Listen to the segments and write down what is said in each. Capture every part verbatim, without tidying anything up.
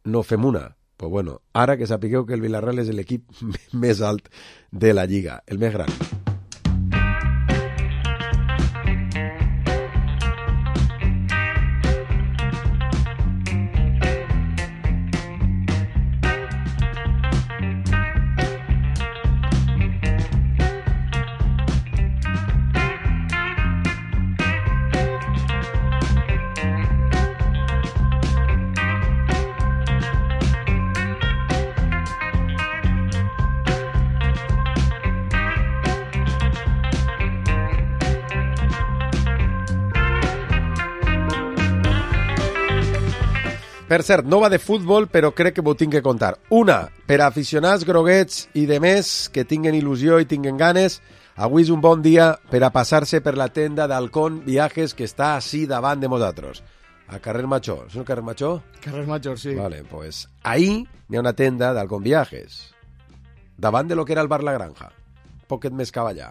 no fem una. Pues bueno, ara que sapigueu que el Villarreal és l'equip més alt de la Lliga, el més gran. Per cert, no va de futbol, però crec que m'ho tinc que contar. Una, per a aficionats groguets i de més que tinguen il·lusió i tinguen ganes, avui és un bon dia per a passar-se per la tenda d'Halcón Viajes que està així davant de nosaltres. A carrer Major. És el carrer Major? Carrer Major, sí. Vale, pues ahí hi ha una tenda d'Halcón Viajes. Davant de lo que era el bar La Granja. Poquet més cap allà.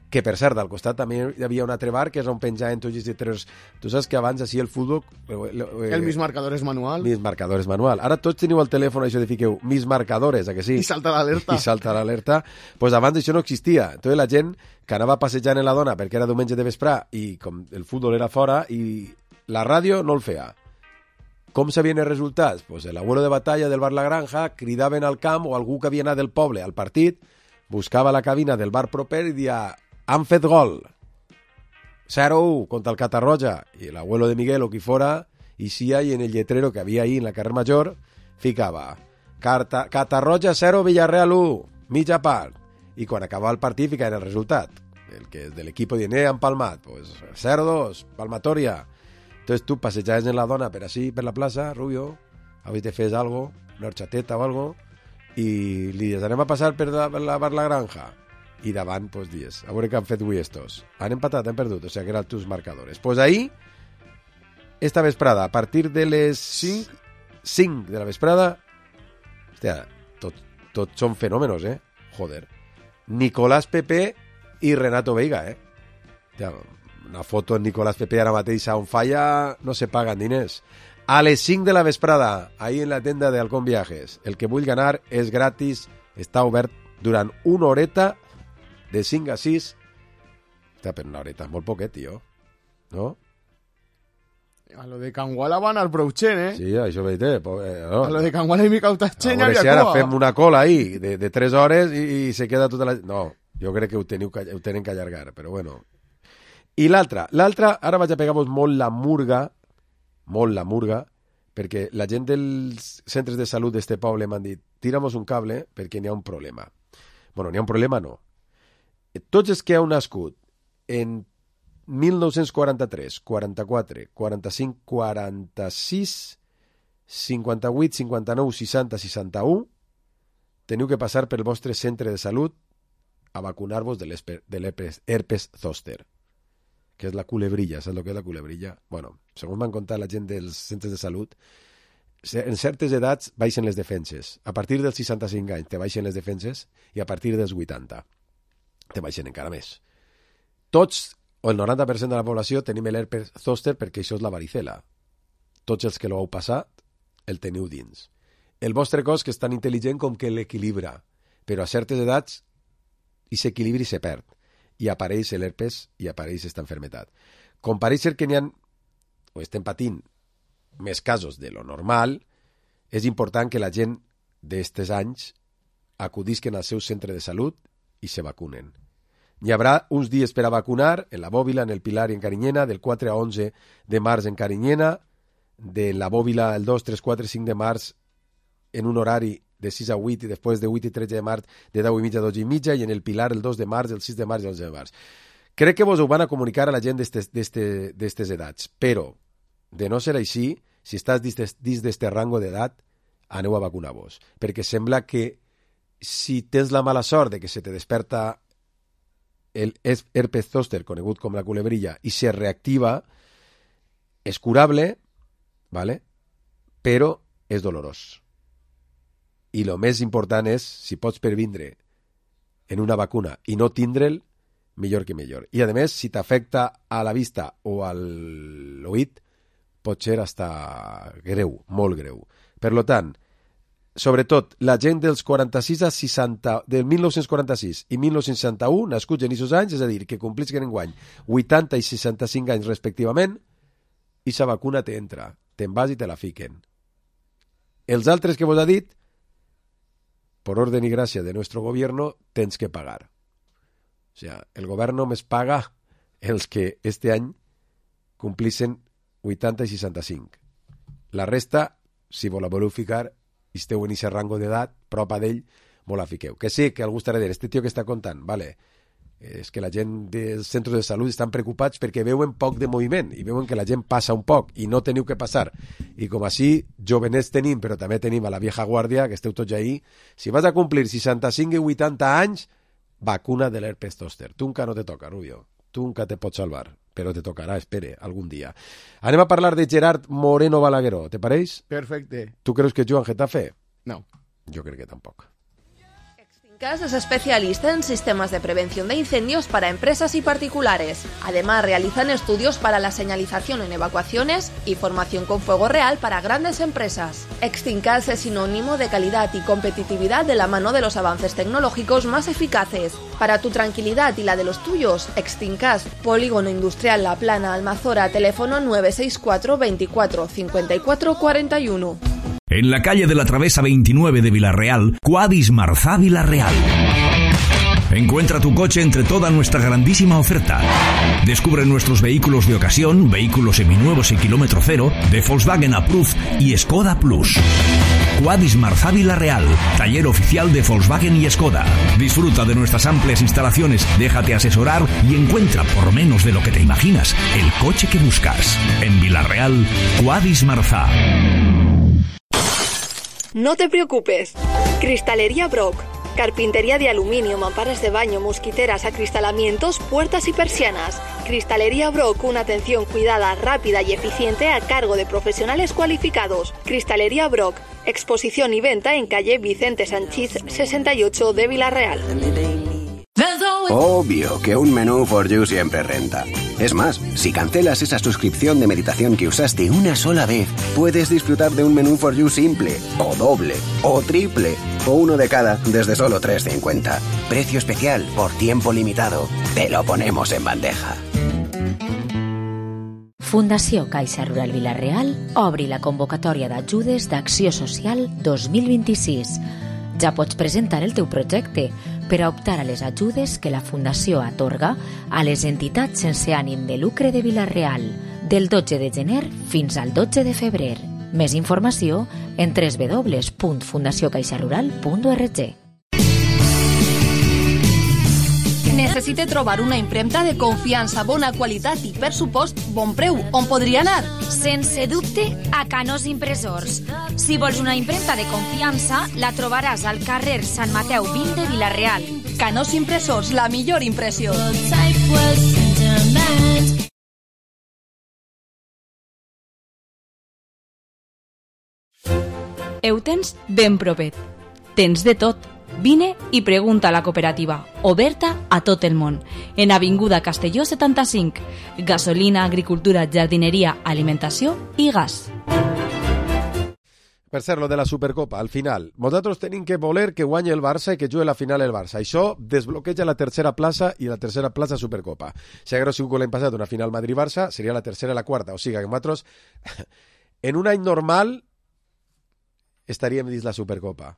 Que, per cert, al costat també hi havia un altre bar que és on penjaven tots els tres... Tu saps que abans, així, el futbol... Eh, el mis marcadores manual. Mis marcadores manual. Ara tots teniu el telèfon, això de fiqueu, mis marcadores, a que sí? I salta l'alerta. I salta l'alerta. Doncs pues abans això no existia. Entonces la gent que anava passejant en la dona perquè era diumenge de vesprà i com el futbol era fora i la ràdio no el feia. Com sabien els resultats? Pues l'abuelo de batalla del bar La Granja cridaven al camp o algú que havia anat del poble al partit, buscava la cabina del bar proper i dia han fet gol, zero u contra el Catarroja, i l'abuelo de Miguel o qui fora, i si hi en el lletrero que havia ahí en la carrer Major, ficava Carta, Catarroja zero, Villarreal u, mitja part, i quan acabava el partit ficava el resultat, el que de l'equip dient, eh, han palmat, pues zero dos, palmatoria. Entonces tu passejaves en la dona per així, per la plaça, Rubio, avui te fes algo, una horchateta o algo, i li dius, anem a passar per la, per la, per la granja. I davant, pues, dies, a veure què han fet avui estos. Han empatat, han perdut, o sigui, que eren tus marcadores. Pues ahí, esta vesprada, a partir de les cinc, cinc de la vesprada, hòstia, tot, tot són fenòmenos, eh? Joder. Nicolás Pepe i Renato Veiga, eh? Hòstia, una foto en Nicolás Pepe ara mateix a on falla, no se paguen diners. A les cinc de la vesprada, ahí en la tenda de Halcón Viajes. El que vull ganar és gratis, està obert durant una horeta, de cinc a sis, està per una horeta, molt poquet, tio, no? A lo de Canguala van al Brouchen, eh? Sí, això veig, eh? No. A lo de Canguala i Mica Utachenya havia si ara fem una cola ahí de, de tres hores i, i se queda tota la... No, jo crec que ho, teniu, ho tenen que allargar, però bueno. I l'altra, l'altra, ara vaig a pegar-vos molt la murga, molt la murga, perquè la gent dels centres de salut d'este poble m'han dit, tira'mos un cable perquè n'hi ha un problema. Bueno, n'hi ha un problema, no. Tots els que heu nascut en mil nou-cents quaranta-tres, quaranta-quatre, quaranta-cinc, quaranta-sis, cinquanta-vuit, cinquanta-nou, seixanta, seixanta-u, teniu que passar pel vostre centre de salut a vacunar-vos de l'herpes zòster, que és la culebrilla. Saps el que és la culebrilla? Bueno, segons m'han contat la gent dels centres de salut, en certes edats baixen les defenses. A partir dels seixanta-cinc anys te baixen les defenses i a partir dels vuitanta te baixen encara més. Tots, o el noranta per cent de la població, tenim l'herpes zòster perquè això és la varicela. Tots els que l'heu passat, el teniu dins. El vostre cos, que és tan intel·ligent com que l'equilibra, però a certes edats aquest equilibri se perd i apareix l'herpes i apareix aquesta enfermetat. Com pareix ser que n'hi ha, o estem patint més casos de lo normal, és important que la gent d'estes anys acudisquen al seu centre de salut i se vacunen. Hi haurà uns dies per a vacunar en la Bòbila, en el Pilar i en Carinyena, del quatre a onze de març en Carinyena, de la Bòbila el dos, tres, quatre, cinc de març en un horari de sis a vuit i després de vuit i tretze de març de deu i mitja a dotze i mitja i en el Pilar el dos de març, el sis de març i el onze de març. Crec que vos ho van a comunicar a la gent d'estes edats, però de no ser així, si estàs dins d'este rango d'edat, aneu a vacunar-vos, perquè sembla que si tens la mala sort de que se te desperta el herpes zòster, conegut com la culebrilla, i se reactiva, és curable, ¿vale? Però és dolorós. I el més important és, si pots pervindre en una vacuna i no tindre'l, millor que millor. I, a més, si t'afecta a la vista o a l'oït, pot ser hasta greu, molt greu. Per lo tant, sobretot, la gent dels quaranta-sis a seixanta, del mil nou-cents quaranta-sis i mil nou-cents seixanta-u, nascuts en aquests anys, és a dir, que complisquen enguany vuitanta i seixanta-cinc anys respectivament, i sa vacuna t'entra, te'n vas i te la fiquen. Els altres que vos ha dit, por orden y gracia de nuestro gobierno, tens que pagar. O sea, el gobierno només paga els que este any complixen vuitanta i seixanta-cinc. La resta, si vos la voleu ficar, i esteu en aquest rango d'edat, prop d'ell, vos la fiqueu. Que sí, que algú estarà dient, este tio que està contant, vale, és que la gent dels centres de salut estan preocupats perquè veuen poc de moviment i veuen que la gent passa un poc i no teniu que passar. I com així, jovenets tenim, però també tenim a la vieja guàrdia, que esteu tots ahí. Si vas a complir seixanta-cinc i vuitanta anys, vacuna de l'herpes zòster. Tu encara no te toca, Rubio. Tu encara te pots salvar, però te tocarà, espere, algun dia. Anem a parlar de Gerard Moreno Balagueró, te pareix? Perfecte. Tu creus que juga en Getafe? No. Jo crec que tampoc. Extingas es especialista en sistemas de prevención de incendios para empresas y particulares. Además, realizan estudios para la señalización en evacuaciones y formación con fuego real para grandes empresas. Extingas es sinónimo de calidad y competitividad de la mano de los avances tecnológicos más eficaces. Para tu tranquilidad y la de los tuyos, Extingas, Polígono Industrial La Plana, Almazora, teléfono nueve seis cuatro veinticuatro cincuenta y cuatro cuarenta y uno. En la calle de la Travesa veintinueve de Villarreal, Quadis Marzá Villarreal. Encuentra tu coche entre toda nuestra grandísima oferta. Descubre nuestros vehículos de ocasión, vehículos seminuevos y kilómetro cero, de Volkswagen Approved y Skoda Plus. Quadis Marzá Villarreal, taller oficial de Volkswagen y Skoda. Disfruta de nuestras amplias instalaciones, déjate asesorar y encuentra, por menos de lo que te imaginas, el coche que buscas. En Villarreal, Quadis Marzá. No te preocupes. Cristalería Brock. Carpintería de aluminio, mamparas de baño, mosquiteras, acristalamientos, puertas y persianas. Cristalería Brock, una atención cuidada, rápida y eficiente a cargo de profesionales cualificados. Cristalería Brock, exposición y venta en calle Vicente Sanchís sesenta y ocho de Villarreal. Obvio que un menú for you siempre renta. Es más, si cancelas esa suscripción de meditación que usaste una sola vez, puedes disfrutar de un menú for you simple, o doble, o triple, o uno de cada desde solo tres cincuenta. Precio especial por tiempo limitado. Te lo ponemos en bandeja. Fundació Caixa Rural Villarreal obri la convocatòria d'ajudes d'Acció Social dos mil vint-i-sis. Ja pots presentar el teu projecte per a optar a les ajudes que la Fundació atorga a les entitats sense ànim de lucre de Villarreal del dotze de gener fins al dotze de febrer. Més informació en doble u doble u doble u punt fundació caixa rural punt org. Necessite trobar una impremta de confiança, bona qualitat i, per supost, bon preu. On podria anar? Sense dubte, a Canós Impressors. Si vols una impremta de confiança, la trobaràs al carrer Sant Mateu vint de Villarreal. Canós Impressors, la millor impressió. Ho tens ben propet. Tens de tot. Vine i pregunta a la cooperativa, oberta a tot el món, en Avinguda Castelló setanta-cinc. Gasolina, agricultura, jardineria, alimentació i gas. Per cert, lo de la Supercopa, al final, nosaltres tenim que voler que guanyi el Barça i que jugui la final el Barça. Això desbloqueja la tercera plaça i la tercera plaça Supercopa. Si hagués sigut l'any passat una final Madrid-Barça, seria la tercera i la quarta. O sigui que nosaltres, en un any normal, estaríem dins la Supercopa.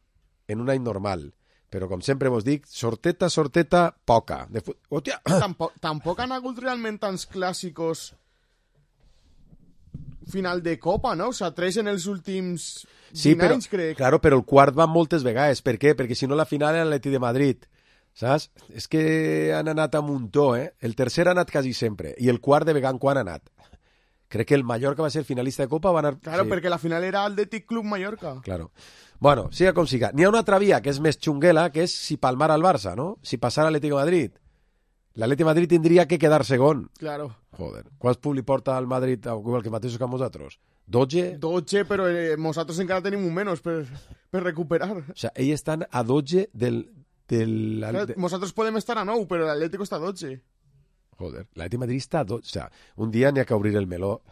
En un any normal. Però, com sempre vos dic, sorteta, sorteta, poca. De fu... Hòstia! Tampoc, tampoc han hagut realment tants clàssicos final de Copa, no? O sea, tres en els últims sí, vint però, anys, crec. Claro, però el quart va moltes vegades. Per què? Perquè si no la final era l'Atleti de Madrid. Saps? És que han anat a muntó, eh? El tercer ha anat quasi sempre. I el quart de vegada quan ha anat? Crec que el Mallorca va ser finalista de Copa, va anar... Claro, sí. Perquè la final era Athletic Club Mallorca. Claro. Bueno, siga com siga. N'hi ha una altra via que és més xunguela, que és si palmar al Barça, ¿no? Si passar a l'Atlético de Madrid. L'Atlético de Madrid tindria que quedar segon. Claro. Joder. Quants públic porta al Madrid, igual que mateixos que nosaltres? dotze? dotze, però eh, nosaltres encara tenim un menys per, per recuperar. O sea, ells estan a dotze del... del... Claro, nosaltres podem estar a nou, però l'Atlético està a dotze. Joder, l'Atlético de Madrid està a dotze. O sea, un dia n'hi ha que obrir el meló.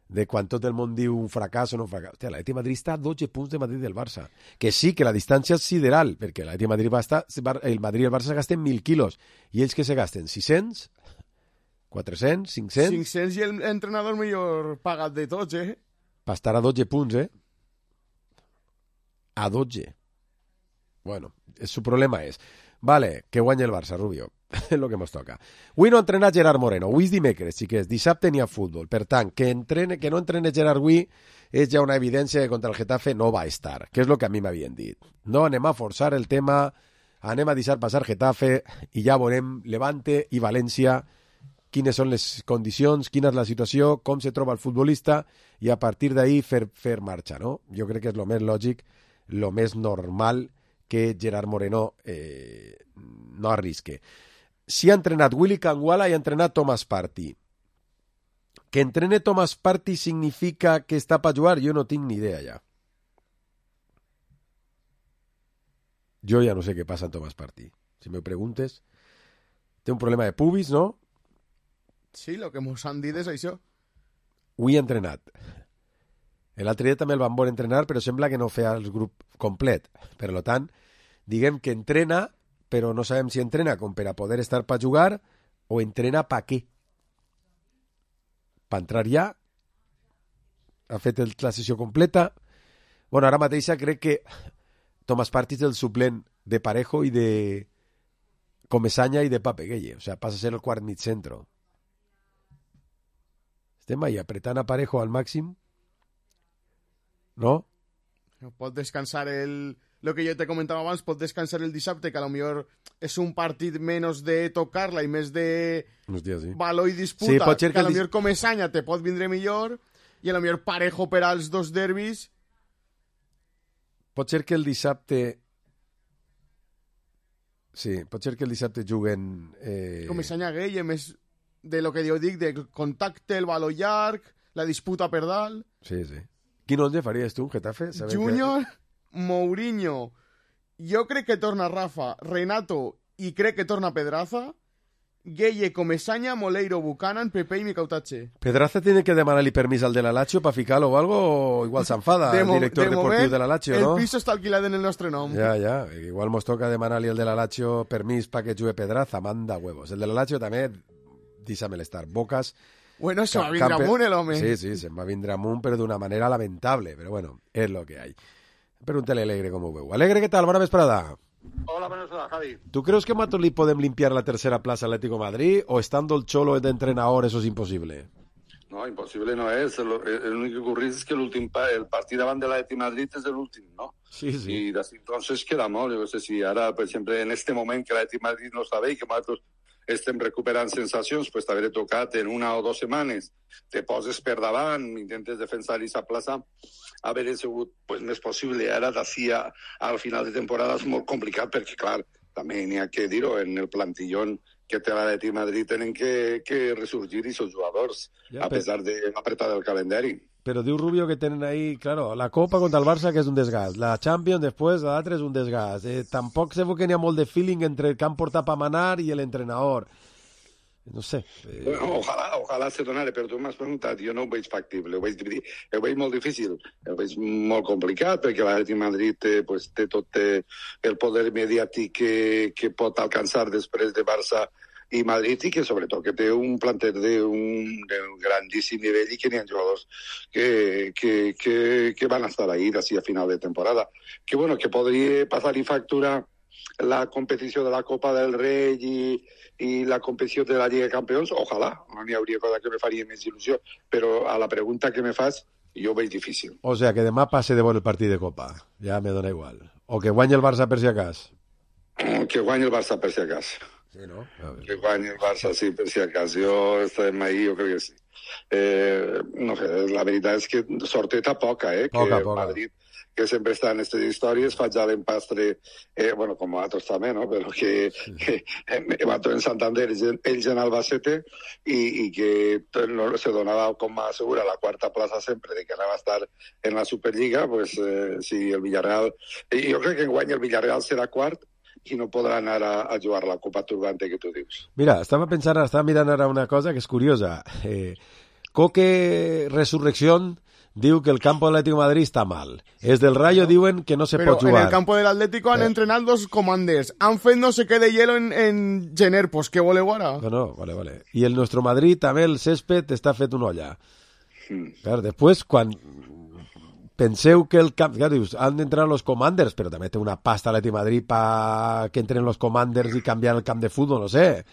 de quan tot el món diu un fracàs o no un fracàs. Hòstia, l'Atlètic de Madrid està a dotze punts de Madrid del Barça. Que sí, que la distància és sideral, perquè l'Atlètic de Madrid va estar, el Madrid i el Barça se gasten mil quilos. I ells que se gasten? sis-cents? quatre-cents? cinc-cents? cinc-cents i l'entrenador millor pagat de tots, eh? Per estar a dotze punts, eh? A dotze. Bueno, su problema és... Vale, que guanya el Barça, Rubio. És el que ens toca. Avui no ha entrenat Gerard Moreno. Avui és dimecres, xiquets. Dissabte n'hi ha futbol. Per tant, que, entrene, que no entrene Gerard avui és ja una evidència que contra el Getafe no va estar, que és el que a mi m'havien dit. No anem a forçar el tema, anem a deixar passar Getafe i ja veurem Levante i València quines són les condicions, quina és la situació, com se troba el futbolista i a partir d'ahí fer, fer marxa, no? Jo crec que és el més lògic, el més normal que Gerard Moreno eh, no arrisque. Si ha entrenat Willy Kangwala i ha entrenat Thomas Partey. Que entrene Thomas Partey significa que està per jugar? Jo no tinc ni idea ja. Jo ja no sé què passa en Thomas Partey. Si me preguntes, té un problema de pubis, no? Sí, el que mos han dit és això. Avui ha entrenat. L'altre dia també el van veure entrenar, però sembla que no feia el grup complet. Per tant, diguem que entrena, però no sabem si entrena com per a poder estar per jugar o entrena per què. Per entrar ja, ha fet el, la sessió completa. Bueno, ara mateixa crec que Thomas Partey és el suplent de Parejo i de Comesaña i de Pape Gueye. O sea, passa a ser el quart mig centro. Estem ahí apretant a Parejo al màxim. ¿No? Pot descansar el... Lo que yo te comentaba abans, pot descansar el dissabte, que a lo mejor és un partit menys de tocar-la i més de Hòstia, sí. valor i disputa, sí, pot ser que, que a lo dis... mejor Comesaña te pot vindre millor i a lo mejor Parejo per als dos derbis. Pot ser que el dissabte... Sí, pot ser que el dissabte juguen... Eh... Comesaña Gueye, més de lo que jo dic, del contacte, el valor llarg, la disputa per dalt. Sí, sí. Quin onze faries tu, Getafe? Júnior, que... Mourinho, jo crec que torna Rafa, Renato i crec que torna Pedraza, Gueye, Comesaña, Moleiro, Buchanan, Pepe i Micautache. ¿Pedraza tiene que demanarle permiso al de la Lazio para ficarlo o algo? O igual se enfada el director de deportivo de la Lazio, ¿no? El piso està alquilat en el nostre nom. Ja, ja. Igual nos toca demanarle al de la Lazio permís para que juegue Pedraza. Manda huevos. El de la Lazio també, dísame l'estar. Bocas... Bueno, se va a vindre amunt el home. Sí, sí, se va a vindre amunt, pero de una manera lamentable. Pero bueno, es lo que hay. Pregúntale a Alegre cómo veo. Alegre, ¿qué tal? Buena vesprada. Hola, buenas tardes, Javi. ¿Tú crees que Matoli podem limpiar la tercera plaza Atlético de Madrid o estando el Cholo de entrenador eso es imposible? No, imposible no es. El, el único que ocurre es que el últim pa, el partit davant de l'Atlètic de Madrid és l'últim, no? Sí, sí. I després entonces queda molt. Jo no sé si ara, per exemple, en este moment que l'Atlètic de Madrid no està bé i que nosaltres estem recuperant sensacions, pues t'haver tocat en una o dues setmanes, te poses per davant, intentes defensar aquesta plaça, haver sigut pues, més possible. Ara d'ací al final de temporada és molt complicat perquè, clar, també n'hi ha que dir-ho, en el plantillón que té l'Atlètic de Madrid tenen que, que resurgir aquests jugadors, ja, a pesar de apretar el calendari. Pero diu Rubio que tienen ahí, claro, la Copa contra el Barça, que és un desgast. La Champions, després, l'altre és un desgast. Eh, tampoc se veu que n'hi ha molt de feeling entre el que han portat per manar i l'entrenador. No sé. Eh... Bueno, ojalà, ojalà se donara, però tu m'has preguntat, jo no ho veig factible, ho veig, ho veig molt difícil, ho veig molt complicat, perquè l'Atlètic de Madrid té, pues, té tot té el poder mediàtic que, que pot alcançar després de Barça i Madrid, i que sobretot que té un planter d'un grandíssim nivell i que n'hi ha jugadors que, que, que, que van estar ahí d'ací a final de temporada. Que bueno, que podria passar i facturar la competició de la Copa del Rei i, i la competició de la Lliga de Campions, ojalà, no n'hi hauria cosa que me faria més il·lusió, però a la pregunta que me fas, jo ho veig difícil. O sea, que demà passe de bon el partit de Copa, ja me dona igual. O que guanyi el Barça per si acas. Que guanyi el Barça per si acas. Sí, no? Que guanyi el Barça, sí, per si acas. Jo estem ahí, jo crec que sí. Eh, no sé, la veritat és que sorteta poca, eh? Poca, que poca. Madrid, que sempre està en aquestes històries, fa ja l'empastre, eh, bueno, com nosaltres també, no? Però que, sí. que eh, nosaltres en Santander, ells en Albacete, i, i que no, se donava com a segura la quarta plaça sempre de que anava a estar en la Superliga, pues eh, si el Villarreal... Eh, jo crec que enguany el Villarreal serà quart, i no podrà anar a, a jugar la Copa Turbante que tu dius. Mira, estava pensant, estava mirant ara una cosa que és curiosa. Eh, Coque Resurrección diu que el campo del Atlético de Madrid està mal. És del Rayo diuen que no se Pero pot jugar. en el campo del Atlético han Eh. entrenado dos commanders. Han fet no sé qué de hielo en, en Gener. Pues què voleu ara? No, no, vale, vale. I el nuestro Madrid també el césped està fet una olla. Mm. Clar, després, quan penseu que el camp... Clar, dius, han d'entrenar los commanders, però també té una pasta l'Atlético de Madrid para que entren los commanders i canviar el camp de futbol, no sé.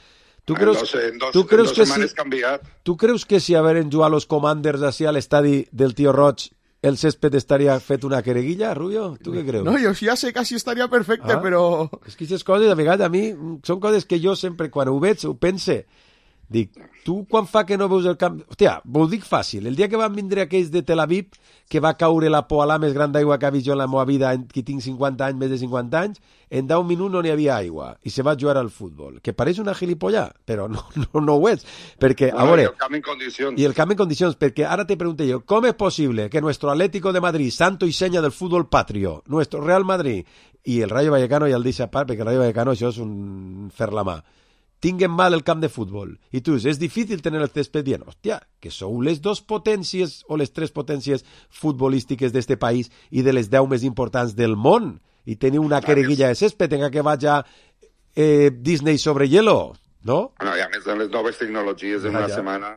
Tu creus, en dos, en dos, tu creus en dos que setmanes si, canviat. tu creus que si haveren jugat los commanders així a l'estadi del Tío Roig, el césped estaria fet una quereguilla, Rubio? Tu què creus? No, yo ya sé que así estaría perfecte, Ah. pero... És que aquestes coses, a vegades, a mi, són coses que jo sempre, quan ho veig, ho pense. Dic, tu quan fa que no veus el camp... Hòstia, ho dic fàcil. El dia que van vindre aquells de Tel Aviv, que va caure la poalà més gran d'aigua que ha vist jo en la meva vida, que tinc cinquanta anys, més de cinquanta anys, en deu minuts no n'hi havia aigua, i se va jugar al futbol. Que pareix una gilipollà, però no, no, no ho és. Perquè, a No, veure... I el camp en condicions. I el camp en condicions, perquè ara te pregunto jo, com és possible que nuestro Atlético de Madrid, santo y seña del fútbol patrio, nuestro Real Madrid i el Rayo Vallecano, ja el deixa a part, perquè el Rayo Vallecano això és un fer la mà, tinguen mal el camp de futbol. I tu dius, és difícil tenir el césped bien. Hòstia, que sou les dos potències o les tres potències futbolístiques d'este país i de les deu més importants del món. I teniu una quereguilla de césped, tenga que vaya eh, Disney sobre hielo, no? No, i a més de les noves tecnologies, en Ja, una ja. setmana,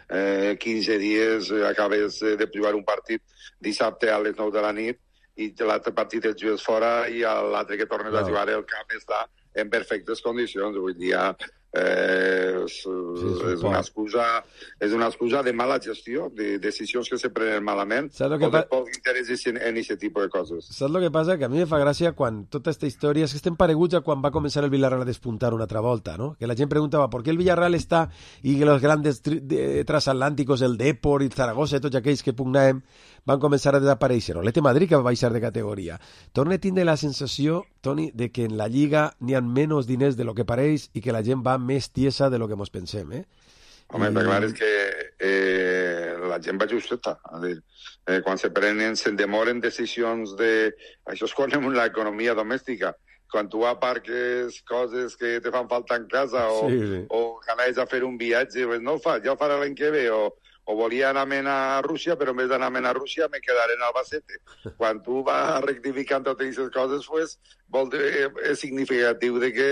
eh, quinze dies, eh, acabes eh, de jugar un partit dissabte a les nou de la nit i l'altre partit el jugues fora i a l'altre que tornes No. a jugar el camp està en perfectes condicions. Avui dia eh, és, és és, una excusa, és una excusa de mala gestió, de decisions que se prenen malament Saps el que o de pa- poc interès en aquest tipus de coses. Saps el que passa? Que a mi me fa gràcia quan tota aquesta història... És que estem pareguts a quan va començar el Villarreal a despuntar una altra volta, ¿no? Que la gent preguntava ¿por qué el Villarreal està i que los grandes tri- de- transatlánticos, el Depor, el Zaragoza i tots aquells que pugnàvem van començar a desaparèixer. O l'Ete Madrid que va baixar de categoria. Torna a tindre la sensació, Toni, de que en la Lliga n'hi ha menys diners de lo que pareix i que la gent va més tiesa de lo que mos pensem, eh? Home, I- està clar és que eh, la gent va justeta. És a dir, eh, quan se prenen, se'n demoren decisions de... Això és quan en l'economia domèstica. Quan tu aparques coses que te fan falta en casa o, Sí, sí. o anaves a fer un viatge, pues no ho fa, ja ho farà l'any que ve, o, o volia anar a Rússia, però en vez d'anar a Rússia me quedaré en Albacete. Quan tu vas rectificant totes aquestes coses, pues, vol dir, és significatiu de que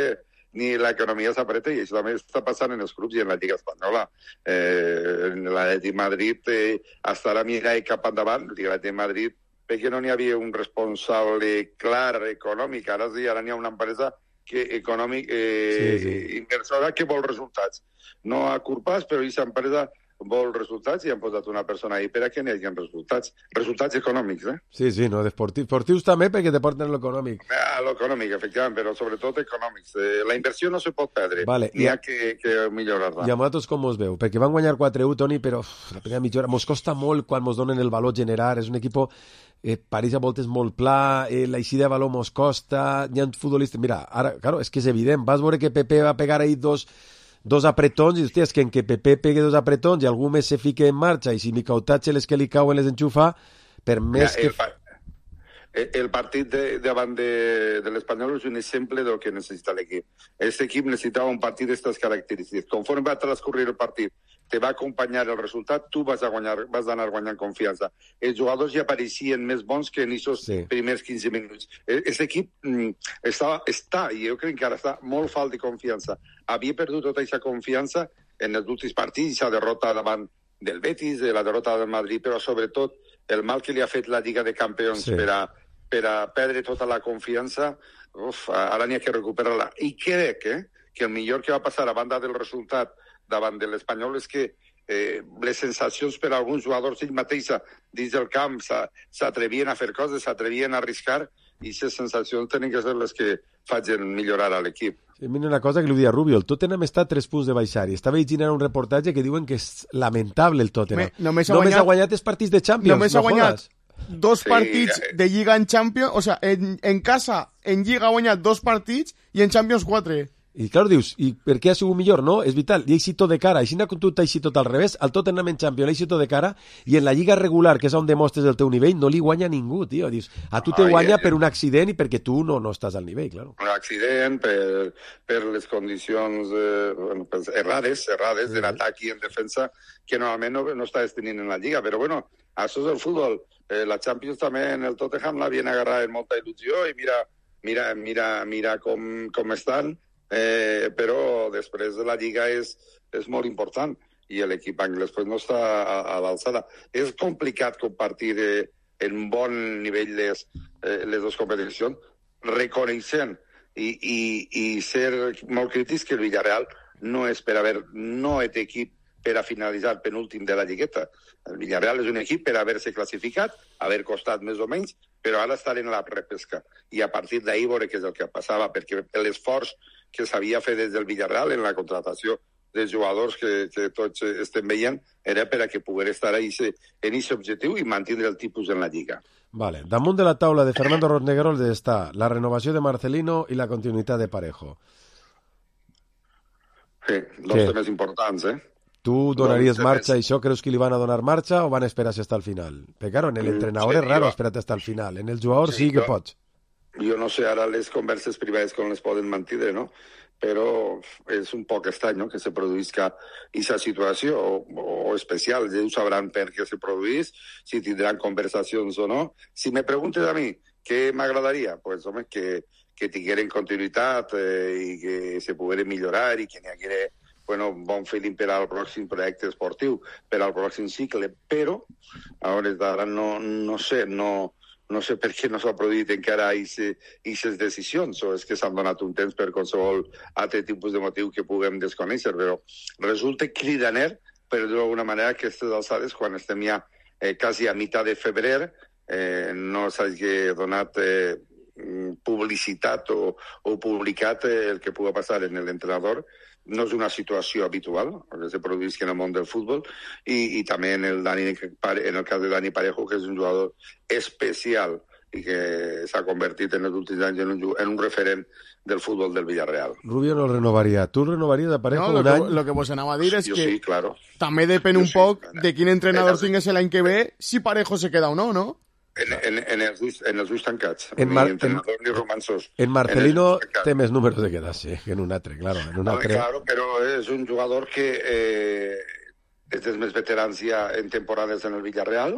ni l'economia s'apreta, i això també està passant en els clubs i en la Lliga Espanyola. Eh, en l'Atlètic Madrid eh, estarà mirant cap endavant, l'Atlètic Madrid, perquè no n'hi havia un responsable clar econòmic, ara sí, ara n'hi ha una empresa que, econòmic, eh, Sí, sí. inversora que vol resultats. No a curt pas, però aquesta empresa vol resultats i han posat una persona ahí per a que n'hi hagi resultats. Resultats econòmics, eh? Sí, sí, no, d'esportius esportius també perquè te porten l'econòmic. A l'econòmic, efectivament, però sobretot econòmics. Eh, la inversió no se pot perdre. Vale, N'hi i- ha que, que millorar-la. I a vosaltres com us veu? Perquè van guanyar quatre u, Toni, però uf, la primera mitja hora mos costa molt quan mos donen el valor generar. És un equip, eh, París a voltes molt pla, eh, l'eixida de valor mos costa, hi ha futbolistes... Mira, ara, claro, és que és evident, vas veure que Pepe va pegar ahí dos, dos apretons i, hòstia, és que en que Pepe pegue dos apretons i algú més se fique en marxa i si Micautatge les que li cauen les enxufa, per més Mira, que... el, pa- el- el partit de, davant de, de l'Espanyol és un exemple del que necessita l'equip. Aquest equip necessitava un partit d'aquestes característiques. Conforme va transcorrir el partit, te va acompanyar el resultat, tu vas a guanyar, vas anar guanyant confiança. Els jugadors ja apareixien més bons que en aquests Sí. primers quinze minuts. Aquest equip mm, està, està, i jo crec que ara està molt falt de confiança. Havia perdut tota aquesta confiança en els últims partits, aquesta derrota davant del Betis, de la derrota del Madrid, però sobretot el mal que li ha fet la Lliga de Campions Sí. per, a, per a perdre tota la confiança, uf, ara n'hi ha que recuperar-la. I crec eh, que el millor que va passar a banda del resultat davant de l'Espanyol és que eh, les sensacions per a alguns jugadors ells mateixa dins del camp s'a- s'atrevien a fer coses, s'atrevien a arriscar, i aquestes sensacions tenen que ser les que facin millorar a l'equip. Sí, mira una cosa que li dia Rubio, el Tottenham està a tres punts de baixar i estava llegint ara un reportatge que diuen que és lamentable el Tottenham. Me- només ha només guanyat- ha guanyat els partits de Champions, Només no ha guanyat jodes. dos Sí, partits eh. de Lliga en Champions, o sea, en, en casa, en Lliga ha guanyat dos partits i en Champions quatre. I, clar, dius, i per què ha sigut millor? No, és vital, i així tot de cara. Així que tu t'haixi tot al revés, al Tottenham en Champions, així tot de cara, i en la Lliga regular, que és on demostres el teu nivell, no li guanya ningú, tio. Dius, a tu te Ai, guanya eh, per un accident i perquè tu no, no estàs al nivell, clar. Un accident, per, per les condicions eh, bueno, pues, errades, errades sí. en atac i en defensa, que normalment no, no estàs tenint en la Lliga. Però bueno, això és el futbol. Eh, la Champions també en el Tottenham l'havien agarrat amb molta il·lusió i mira, mira, mira, mira com, com estan. Eh, però després de la Lliga és, és molt important i l'equip anglès pues, no està a, a l'alçada. És complicat compartir eh, en bon nivell les, eh, les dues competicions, reconeixent i, i, i ser molt crítics que el Villarreal no és per haver, no és equip per a finalitzar penúltim de la Lligueta. El Villarreal és un equip per haver-se classificat, haver costat més o menys, però ara estar en la repesca. I a partir d'ahir veure què és el que passava, perquè l'esforç que s'havia fet des del Villarreal en la contratació dels jugadors que, que tots estem veient era per a que pogués estar en aquest objectiu i mantenir el tipus en la Lliga. Vale. Damunt de la taula de Fernando Rosneguerol està la renovació de Marcelino i la continuïtat de Parejo. Sí, dos Què? temes importants, eh? ¿Tú donarías marcha y això? ¿Creus que li van a donar marcha o van a esperarse hasta el final? Pero claro, en el entrenador sí, es raro esperarte hasta el final. En el jugador sí, sí que jo, pots. Jo no sé, ara les converses privades com les poden mantenir, no? Però és un poc estrany, no?, que se produïsca aquesta situació o, o especial. Ells sabran per què se produís, si tindran conversacions o no. Si me preguntes a mi què m'agradaria, pues, home, que, que tingueren continuïtat eh, i que se pogueren millorar i que n'hi haguera bueno, bon feeling per al pròxim projecte esportiu, per al pròxim cicle, però a hores d'ara no, no sé, no, no sé per què no s'ha produït encara aquestes decisions, o és que s'han donat un temps per qualsevol altre tipus de motiu que puguem desconèixer, però resulta cridaner, per dir-ho d'alguna manera, que aquestes alçades, quan estem ja eh, quasi a mitjà de febrer, eh, no s'hagi donat eh, publicitat o, o publicat eh, el que pugui passar en l'entrenador. No és una situació habitual que se produïsca en el món del futbol i, i també en el, Dani, en el cas de Dani Parejo, que és un jugador especial i que s'ha convertit en els últims anys en un, en un referent del futbol del Villarreal. Rubio no renovaria. ¿Tú renovarías de Parejo no, un lo any? Que, lo que vos anava a dir és jo que sí, claro. també depèn jo un sí, poc claro. de quin entrenador tingués l'any que ve, si Parejo se queda o no, no? En, en, en, els, ulls, en els ulls tancats. En Mar, ni entrenador en, ni romansos. En Marcelino en té més números de quedar-se que en un altre, claro. En un altre... Claro, però és un jugador que eh, és dels més veterans ja en temporades en el Villarreal,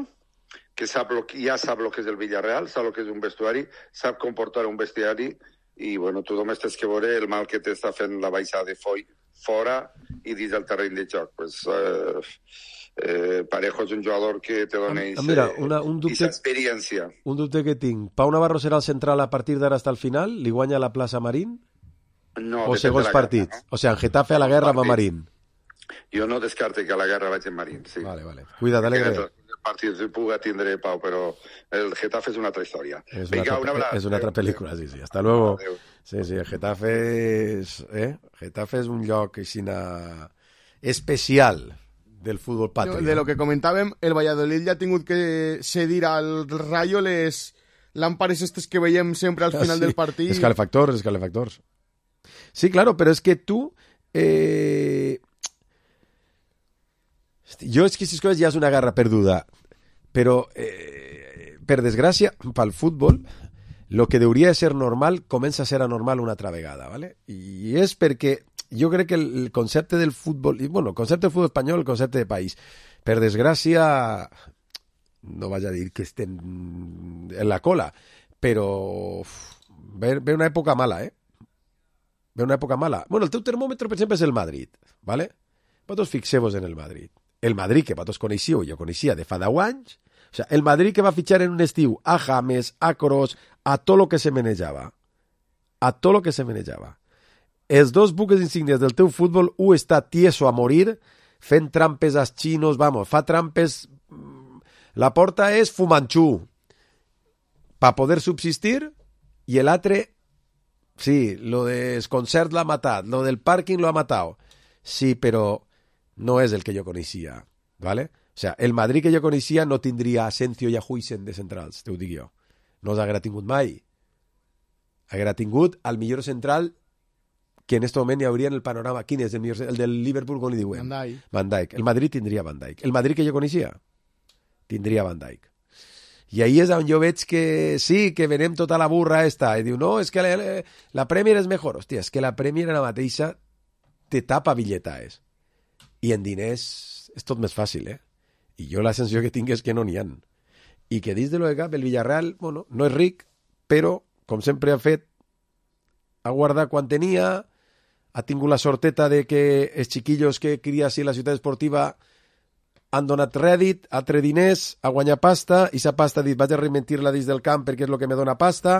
que sap lo, ja sap el que és el Villarreal, sap el que és un vestuari, sap comportar un bestiari i, bueno, tu només tens que veure el mal que t'està fent la baixada de foi fora i dins del terreny de joc. Pues, eh, eh, Parejo és un jugador que te dona aquesta experiència. Un dubte que tinc. Pau Navarro serà el central a partir d'ara hasta el final? Li guanya la plaça Marín? No, o segons partits? Guerra, no? O sigui, en Getafe a la guerra va Marín. Jo no descarte que a la guerra vaig en Marín, sí. Vale, vale. Cuida, Alegre. El partit puga tindre Pau, però el Getafe és una altra història. És una, Venga, una, és una altra pel·lícula, sí, sí. Hasta luego. Adeu. Sí, sí, el Getafe és, eh? Getafe és un lloc aixina especial del futbol patri. De lo que comentàvem, el Valladolid ja ha tingut que cedir al Rayo les làmpares estes que veiem sempre al final ah, sí. del partit. Escalefactors, escalefactors. Sí, claro, pero es que tú... Eh... Jo és que aquestes coses ja és una guerra perduda, però, eh, per desgràcia, pel futbol, lo que hauria de ser normal comença a ser anormal una altra vegada, ¿vale? I és perquè jo crec que el concepte del futbol, i bueno, el concepte del futbol espanyol, el concepte de país, per desgràcia, no vaig a dir que estem en la cola, però ve, ve una època mala, eh? Ve una època mala. Bueno, el teu termòmetre, per exemple, és el Madrid, ¿vale? Vosaltres fixeu-vos en el Madrid. El Madrid que vosaltres coneixíeu, jo coneixia de fa deu anys, o sea, el Madrid que va fitxar en un estiu a James, a Kroos, a tot lo que se manejava. A tot lo que se manejava. Els dos buques insignes del teu futbol, un està tieso a morir, fent trampes als xinos, vamos, fa trampes... La porta és Fumanchu, para poder subsistir, i l'altre, sí, lo del concert l'ha matat, lo del pàrquing lo ha matat. Sí, però no és el que jo coneixia, ¿vale? O sea, el Madrid que jo coneixia no tindria Asensio i a Huijsen de centrals, te ho dic jo. No s'haguera tingut mai. Haguera tingut el millor central que en este moment hi hauria en el panorama. Quin és el millor? El del Liverpool, com li diuen? Van Dijk. Van Dijk. El Madrid tindria Van Dijk. El Madrid que jo coneixia tindria Van Dijk. I ahí és on jo veig que sí, que venem tota la burra esta. I diu, no, és que la, la Premier és millor. Hòstia, és que la Premier ara mateixa te tapa billetaes. I en diners és tot més fàcil, eh? I jo la sensació que tinc és que no n'hi ha. I que dins de lo de cap, el Villarreal, bueno, no és ric, però, com sempre ha fet, ha guardat quan tenia, ha tingut la sorteta de que els xiquillos que cria així la ciutat esportiva han donat rèdit, ha tret diners, ha guanyat pasta, i sa pasta ha dit, vaig a reinventir-la dins del camp perquè és el que me dona pasta,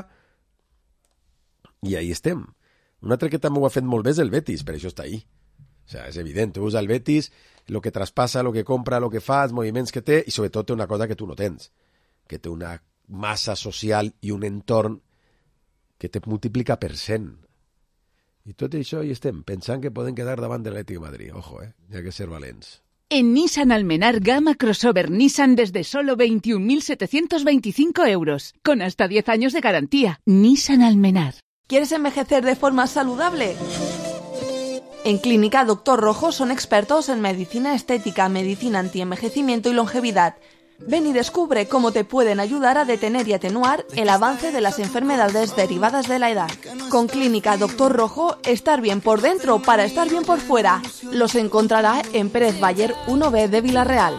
i ahí estem. Un altre que també ho ha fet molt bé és el Betis, per això està ahí. O sea, és evident, tu veus el Betis, el que traspassa, el que compra, el que fa, els moviments que té, i sobretot té una cosa que tu no tens, que té una massa social i un entorn que te multiplica per cent. I tot això hi estem, pensant que poden quedar davant de l'Atlètic de Madrid. Ojo, eh? Hi ha que ser valents. En Nissan Almenar gama crossover Nissan desde solo veintiún mil setecientos veinticinco euros, con hasta diez años de garantía. Nissan Almenar. ¿Quieres envejecer de forma saludable? En Clínica Doctor Rojo son expertos en medicina estética, medicina antienvejecimiento y longevidad. Ven y descubre cómo te pueden ayudar a detener y atenuar el avance de las enfermedades derivadas de la edad. Con Clínica Doctor Rojo, estar bien por dentro para estar bien por fuera. Los encontrará en Pérez Bayer uno B de Villarreal.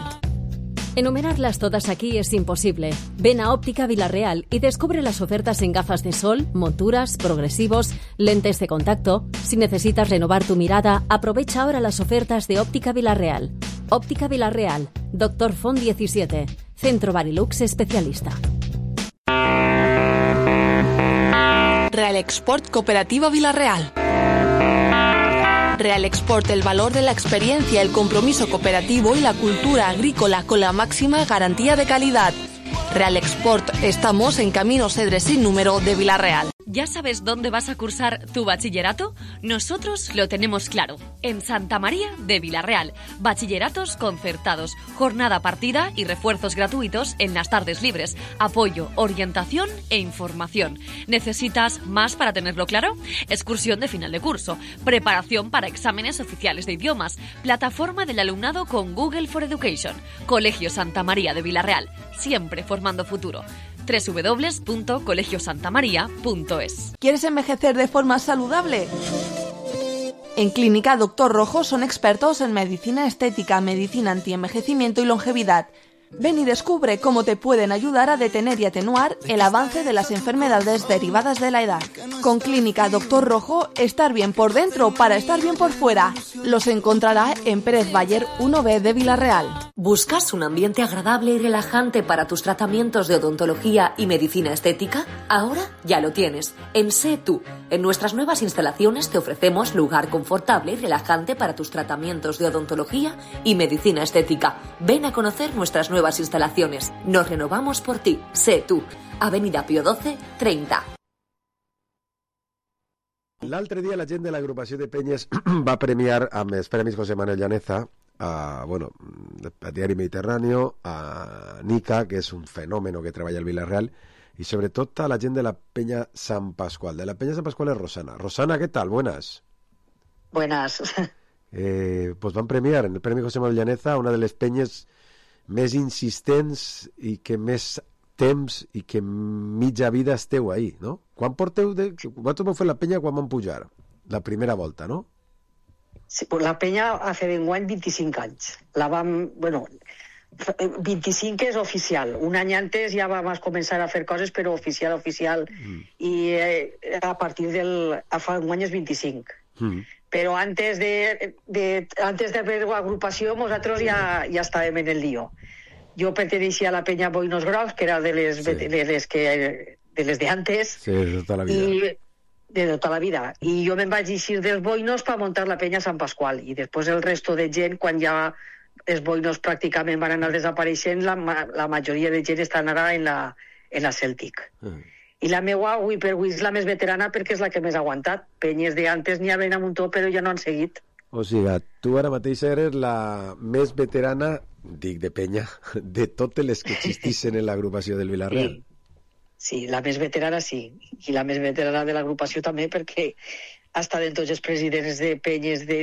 Enumerarlas todas aquí es imposible. Ven a Óptica Villarreal y descubre las ofertas en gafas de sol, monturas, progresivos, lentes de contacto. Si necesitas renovar tu mirada, aprovecha ahora las ofertas de Óptica Villarreal. Óptica Villarreal, Doctor Font diecisiete, Centro Barilux Especialista. Real Export Cooperativa Villarreal. Real Export, el valor de la experiencia, el compromiso cooperativo y la cultura agrícola con la máxima garantía de calidad. Real Export, estamos en Camino Cedre sin número de Villarreal. ¿Ya sabes dónde vas a cursar tu bachillerato? Nosotros lo tenemos claro. En Santa María de Villarreal. Bachilleratos concertados, jornada partida y refuerzos gratuitos en las tardes libres. Apoyo, orientación e información. ¿Necesitas más para tenerlo claro? Excursión de final de curso. Preparación para exámenes oficiales de idiomas. Plataforma del alumnado con Google for Education. Colegio Santa María de Villarreal. Siempre formando futuro. doble u doble u doble u punto colegio santa maría punto es. ¿Quieres envejecer de forma saludable? En Clínica Doctor Rojo son expertos en medicina estética, medicina antienvejecimiento y longevidad. Ven y descubre cómo te pueden ayudar a detener y atenuar el avance de las enfermedades derivadas de la edad. Con Clínica Doctor Rojo, estar bien por dentro para estar bien por fuera. Los encontrará en Pérez Bayer uno B de Villarreal. ¿Buscas un ambiente agradable y relajante para tus tratamientos de odontología y medicina estética? Ahora ya lo tienes. En Sé Tú. En nuestras nuevas instalaciones te ofrecemos lugar confortable y relajante para tus tratamientos de odontología y medicina estética. Ven a conocer nuestras nuevas instalaciones. Nos renovamos por ti. Sé Tú. Avenida Pío doce, treinta. L'altre dia la gent de l'agrupació de Penyes va premiar amb els Premis José Manuel Llaneza a, bueno, a Diari Mediterráneo, a Nica, que és un fenòmeno que treballa al Villarreal, y sobre todo a la gent de la Peña San Pascual. De la Peña San Pascual es Rosana. Rosana, ¿qué tal? Buenas. Buenas. Eh, pues van premiar en el Premi José Manuel Llaneza una de les penyes més insistents i que més temps i que mitja vida esteu ahí, no? Quan porteu de... Vosaltres vau fer la penya quan van pujar? La primera volta, no? Sí, pues la penya ha fet enguany vint-i-cinc anys. La vam... Bueno, vint-i-cinc és oficial. Un any antes ja vam començar a fer coses, però oficial, oficial. Mm. I eh, a partir del... Fa un any és vint-i-cinc. Mm. Però antes de, de antes de ver agrupació, nosaltres ja, ja estàvem en el lío. Jo perteneixia a la penya Boinos Grocs, que era de les, sí. de les que de les de antes. Sí, de tota la vida. I, de tota la vida. I jo me'n vaig eixir dels Boinos per muntar la penya Sant Pasqual. I després el resto de gent, quan ja els Boinos pràcticament van anar desapareixent, la, la majoria de gent estan ara en la, en la Celtic. Mm. I la meua, avui per avui, és la més veterana perquè és la que més ha aguantat. Penyes de antes n'hi havia un muntó, però ja no han seguit. O sigui, tu ara mateix eres la més veterana, dic de penya, de totes les que existissin en l'agrupació del Villarreal. Sí. Sí, la més veterana sí. I la més veterana de l'agrupació també, perquè ha estat en tots els presidents de penyes de,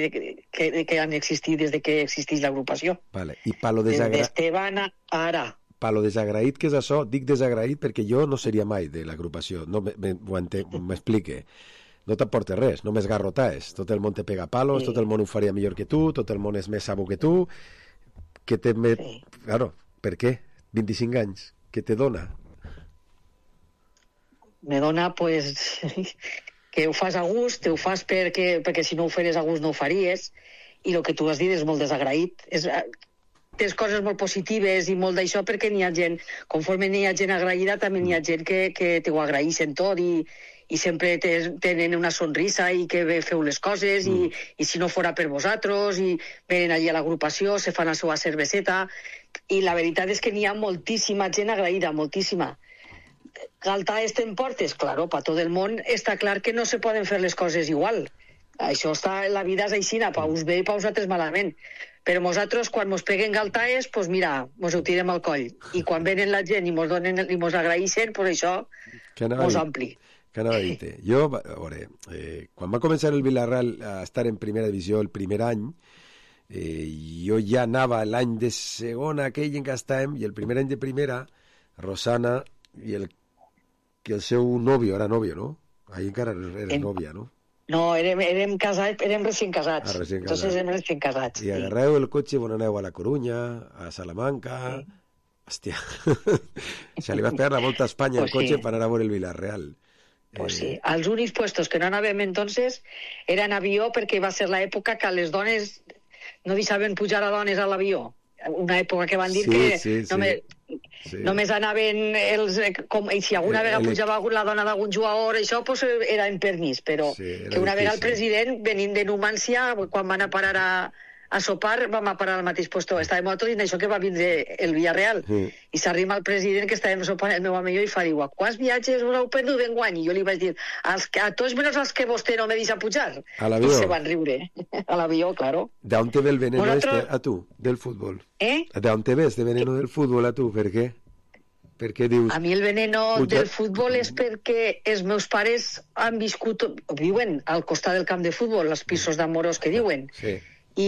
que, que han existit des de que existeix l'agrupació. Vale. I pa lo Des desagra... d'Esteban a ara. Pa lo desagraït que és això, dic desagraït perquè jo no seria mai de l'agrupació, no m'explique. No t'aporta res, només garrotaes. Tot el món te pega palos, sí. Tot el món ho faria millor que tu, tot el món és més sabo que tu, que te... Me... Sí. Claro, per què? vint-i-cinc anys, què te dona? Me dona, pues, que ho fas a gust, te ho fas perquè, perquè si no ho feres a gust no ho faries, i el que tu has dit és molt desagraït. És, tens coses molt positives i molt d'això perquè n'hi ha gent, conforme n'hi ha gent agraïda, també n'hi ha gent que, que t'ho agraeixen tot i, i sempre te, tenen una sonrisa i que bé feu les coses mm. i, i si no fora per vosaltres i venen allí a l'agrupació, se fan la seva cerveseta i la veritat és que n'hi ha moltíssima gent agraïda, moltíssima. Galtaes t'emportes? Claro, per tot el món està clar que no se poden fer les coses igual. Això està, la vida és aixina, pa us bé i pa vosaltres malament. Però nosaltres, quan mos peguen galtaes, pues mira, mos ho tirem al coll. I quan venen la gent i mos, donen, i mos agraeixen, pues això mos ampli. Que anava a dir-te? Jo, a veure, eh, quan va començar el Villarreal a estar en primera divisió el primer any, eh, jo ja anava l'any de segona, aquell en què estàvem, i el primer any de primera, Rosana i el, que el seu nòvio, era nòvio, no? Ahí encara era en... nòvia, no? No, érem, érem casats, érem recient casats. Ah, recient casats. Entonces érem recient casats. I agarreu el cotxe i bon aneu a la Corunya, a Salamanca... Sí. Hòstia, se li va pegar la volta a Espanya pues el cotxe sí. Per anar a veure el Villarreal. Pues sí, els únics puestos que no anàvem entonces eren avió perquè va ser l'època que les dones no deixaven pujar a dones a l'avió. Una època que van dir sí, que sí, només, sí. només anaven els... Com, i si alguna vegada pujava la dona d'algun jugador, això pues, era en permís, però sí, que una vegada el president, venint de Numància, quan van a parar a, a sopar, vam a parar al mateix puesto. Estàvem nosaltres dient això que va vindre el Villarreal. Mm. I s'arriba el president que estàvem sopant el meu amic i fa, diu, quants viatges us heu perdut d'enguany? I jo li vaig dir, als, a tots menys els que vostè no me deixa pujar. A l'avió. I se van riure. A l'avió, claro. ¿De te ve el veneno Nosotros... este a tu, del fútbol? Eh? ¿De te ves de veneno del fútbol a tu? Per què? Per què dius... A mi el veneno pujar... del futbol és perquè els meus pares han viscut, viuen al costat del camp de futbol, els pisos d'Amorós que diuen. Sí. I,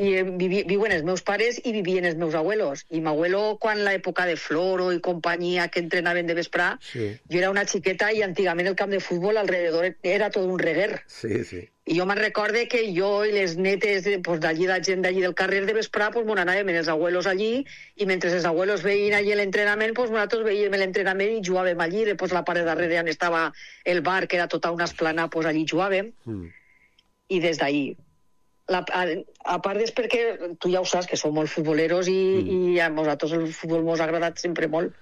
i vivi, viuen els meus pares i vivien els meus abuelos. I m'abuelo, quan l'època de Floro i companyia que entrenaven de vesprà, sí. Jo era una xiqueta i antigament el camp de futbol alrededor era tot un reguer. Sí, sí. I jo me'n recorde que jo i les netes pues, d'allí, la gent d'allí del carrer de vesprà, pues, m'on anàvem els abuelos allí i mentre els abuelos veien allí l'entrenament, pues, nosaltres veiem l'entrenament i jugàvem allí. Després la part de darrere on estava el bar, que era tota una esplana, pues, allí jugàvem. Mm. I des d'allí. La, a, a part és perquè tu ja ho saps que som molt futboleros i, mm. i a nosaltres el futbol mos ha agradat sempre molt.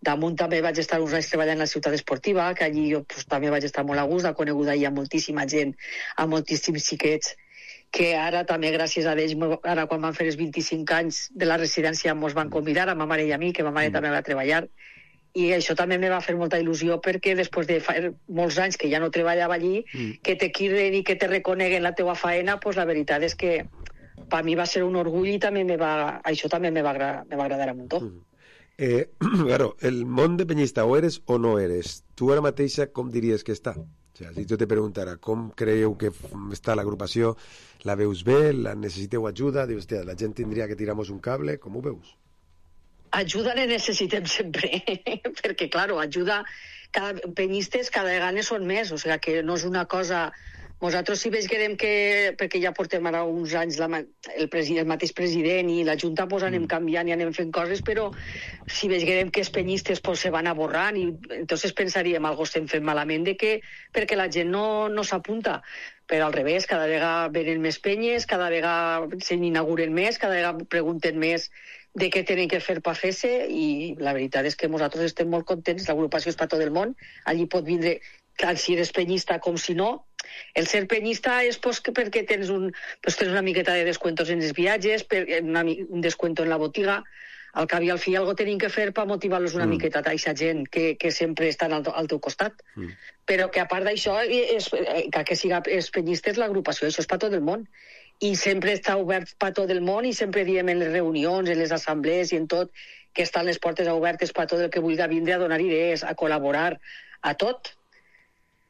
Damunt també vaig estar uns anys treballant a la ciutat esportiva, que allí jo pues, també vaig estar molt a gust, he conegut allà moltíssima gent, a moltíssims xiquets, que ara també gràcies a ells, ara quan van fer els vint-i-cinc anys de la residència mos van convidar a ma mare i a mi, que ma mare mm. també va treballar, i això també me va fer molta il·lusió perquè després de fa molts anys que ja no treballava allí, mm. que te quiren i que te reconeguen la teua faena, pues la veritat és que per mi va ser un orgull i també me va, això també me va, me va agradar un muntó. Mm. Eh, claro, el món de penyista o eres o no eres. Tu ara mateixa com diries que està? O sea, si jo te preguntara com creieu que està l'agrupació, la veus bé, la necessiteu ajuda, dius, hòstia, la gent tindria que tirar-nos un cable, com ho veus? Ajuda ne necessitem sempre, perquè, claro, ajuda, cada, penyistes cada vegada són més, o sigui que no és una cosa... Nosaltres sí veiem que, perquè ja portem ara uns anys la, el, president, el mateix president i la Junta pues, anem canviant i anem fent coses, però si veiem que els penyistes pues, se van aborrant i entonces pensaríem algo estem fent malament de que, perquè la gent no, no s'apunta. Però al revés, cada vegada venen més penyes, cada vegada se n'inauguren més, cada vegada pregunten més de què tenen que fer per fer-se i la veritat és que nosaltres estem molt contents, l'agrupació és per tot el món, allí pot vindre, tant si eres penyista com si no. El ser penyista és pues, perquè tens, un, pues, tens una miqueta de descuentos en els viatges, per, una, un descuento en la botiga, al cap i al fi algo tenim que fer per motivar-los una mm. miqueta a aquesta gent que, que sempre estan al, al teu costat. Mm. Però que a part d'això, és, que, que siga els penyistes l'agrupació, això és per tot el món. I sempre està obert per tot el món i sempre diem en les reunions, en les assemblees i en tot, que estan les portes obertes per tot el que vulgui vindre a donar idees, a col·laborar, a tot.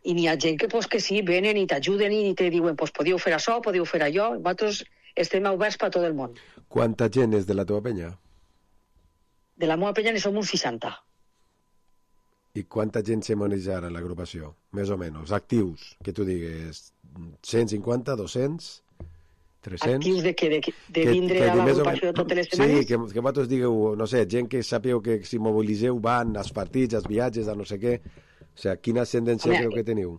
i n'hi ha gent que, pues, que sí, venen i t'ajuden i te diuen, pues, podíeu fer això, podíeu fer allò. Nosaltres estem oberts per tot el món. Quanta gent és de la teva penya? De la meva penya ne som uns seixanta. I quanta gent se maneja ara en l'agrupació? Més o menys. Actius, que tu digues, cent cinquanta, dos-cents, tres-cents... Actius de què? De, de vindre que, que a l'agrupació men... totes les setmanes? Sí, que, que vosaltres digueu, no sé, gent que sapeu que si mobiliseu van als partits, als viatges, a no sé què. O sigui, quina ascendència Home, creu que teniu?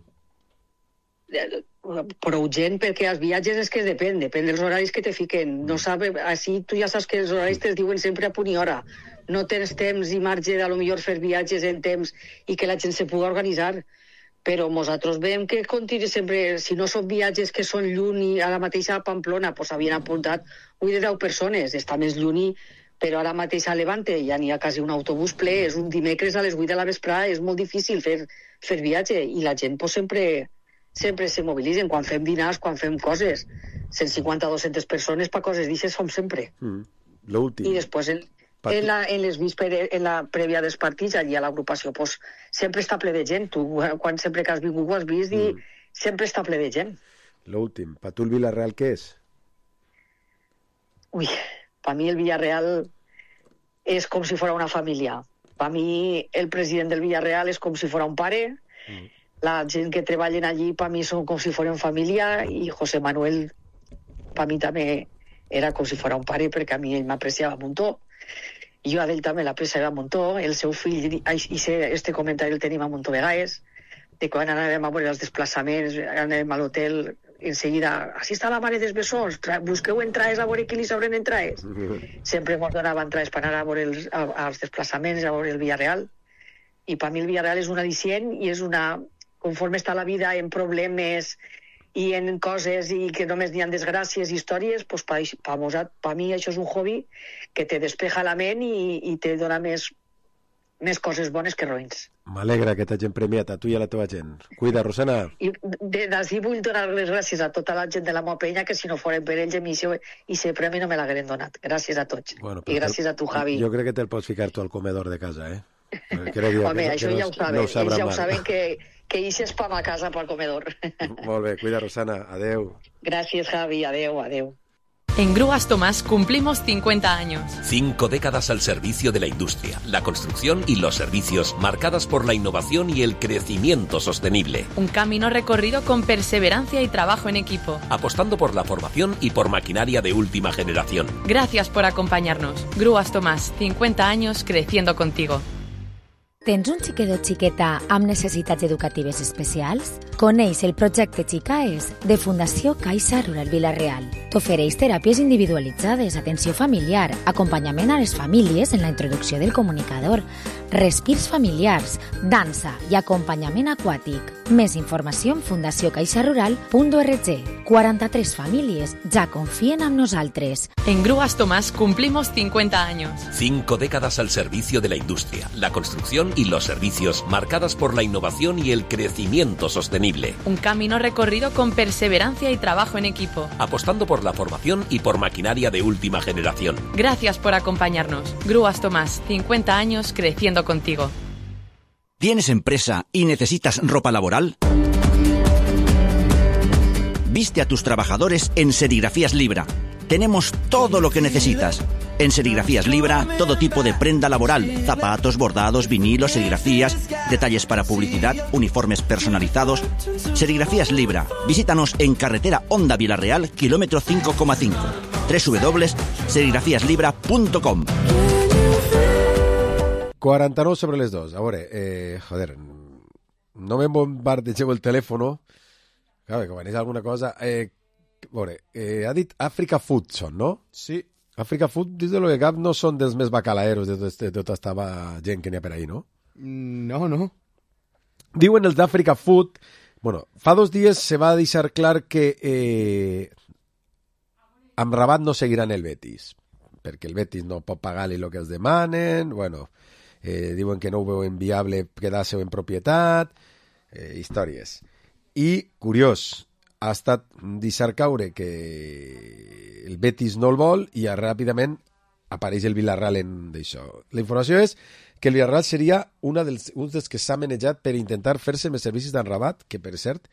Prou gent, perquè els viatges és que depèn, depèn dels horaris que te fiquen. No sabe, així tu ja saps que els horaris te'ls diuen sempre a punt i hora. No tens temps i marge de, a lo millor, fer viatges en temps i que la gent se pugui organitzar. Però nosaltres veiem que continua sempre, si no són viatges que són lluny, a la mateixa a Pamplona, doncs havien apuntat avui de deu persones, està més lluny, però ara mateix a Levante ja n'hi ha quasi un autobús ple, és un dimecres a les vuit de la vesprada, és molt difícil fer, fer viatge, i la gent pues, sempre, sempre se mobilitzen, quan fem dinars, quan fem coses, cent cinquanta a dues-centes persones per coses d'aixes som sempre. Mm, l'últim. I després en, en, la, en les vísperes, en la prèvia dels partits, allí a l'agrupació, pues, sempre està ple de gent. Tu, quan sempre que has vingut ho has vist, i mm. sempre està ple de gent. L'últim. Per tu el Villarreal què és? Ui, per mi el Villarreal és com si fos una família. Per mi el president del Villarreal és com si fos un pare, mm. la gent que treballen allí per mi són com si fos família, i José Manuel per mi també era com si fos un pare, perquè a mi ell m'apreciava un muntó. I jo a ell també l'apreciava un muntó. El seu fill, i este comentari el tenim a muntó vegades, de quan anàvem a veure els desplaçaments, anàvem a l'hotel, en seguida, així està la mare dels bessons, busqueu entrades a veure qui li s'obren entrades. Sempre ens donava entrades per anar a veure els, a, als desplaçaments, a veure el Villarreal. I per mi el Villarreal és un al·licient i és una... Conforme està la vida en problemes i en coses i que només n'hi ha desgràcies i històries, doncs per, per, per mi això és un hobby que te despeja la ment i, i te dona més, més coses bones que roïns. M'alegra que t'hagin premiat, a tu i a la teva gent. Cuida, Rosana. I d'ací vull donar les gràcies a tota la gent de la meva penya, que si no foren per ells, i aquest premi no me l'hagueren donat. Gràcies a tots. Bueno, I gràcies a tu, Javi. Jo crec que te'l pots ficar tu al comedor de casa, eh? Crec Home, que, això que ja no, ho saben. No ho ells ja ho mal. saben que, que ixes pa ma casa pel comedor. Molt bé, cuida, Rosana. Adeu. Gràcies, Javi. Adeu, adeu. En Grúas Tomás cumplimos cincuenta años. Cinco décadas al servicio de la industria, la construcción y los servicios, marcadas por la innovación y el crecimiento sostenible. Un camino recorrido con perseverancia y trabajo en equipo. Apostando por la formación y por maquinaria de última generación. Gracias por acompañarnos. Grúas Tomás, cincuenta años creciendo contigo. Tens un xiquet o xiqueta amb necessitats educatives especials? Coneix el projecte Xicaes de Fundació Caixa Rural Vila-real. T'ofereix teràpies individualitzades, atenció familiar, acompanyament a les famílies en la introducció del comunicador, respirs familiars, dansa i acompanyament aquàtic. Més informació en fundació caixa rural punt org. quaranta-tres famílies ja confien en nosaltres. En Grúas Tomás cumplimos cincuenta años. Cinco décadas al servicio de la industria, la construcción y los servicios, marcadas por la innovación y el crecimiento sostenible. Un camino recorrido con perseverancia y trabajo en equipo. Apostando por la formación y por maquinaria de última generación. Gracias por acompañarnos. Grúas Tomás, cincuenta años creciendo contigo. ¿Tienes empresa y necesitas ropa laboral? Viste a tus trabajadores en Serigrafías Libra. Tenemos todo lo que necesitas. En Serigrafías Libra, todo tipo de prenda laboral, zapatos, bordados, vinilos, serigrafías, detalles para publicidad, uniformes personalizados. Serigrafías Libra. Visítanos en carretera Honda Vila-real, kilómetro cinco coma cinco. doble u doble u doble u punt serigrafías libra punt com. quaranta-nou sobre les dos. A veure, eh, joder, no me bombardegeu el telèfon. Claro, que quan és alguna cosa... Eh, a veure, eh, ha dit Africa Food són, no? Sí. Africa Food, des de lo que cap, no són dels més bacalaeros de tota tot esta gent que n'hi ha per ahí, no? No, no. Diuen els d'Africa Food... Bueno, fa dos dies se va deixar clar que eh, amb Rabat no seguiran el Betis, perquè el Betis no pot pagar-li el que els demanen, bueno... Eh, diuen que no ho veuen viable quedar-se en propietat, eh, històries. I, curiós, ha estat deixar caure que el Betis no el vol i ja ràpidament apareix el Villarreal en d'això. La informació és que el Villarreal seria una dels, un dels que s'ha manejat per intentar fer-se més servicis d'en Rabat, que per cert,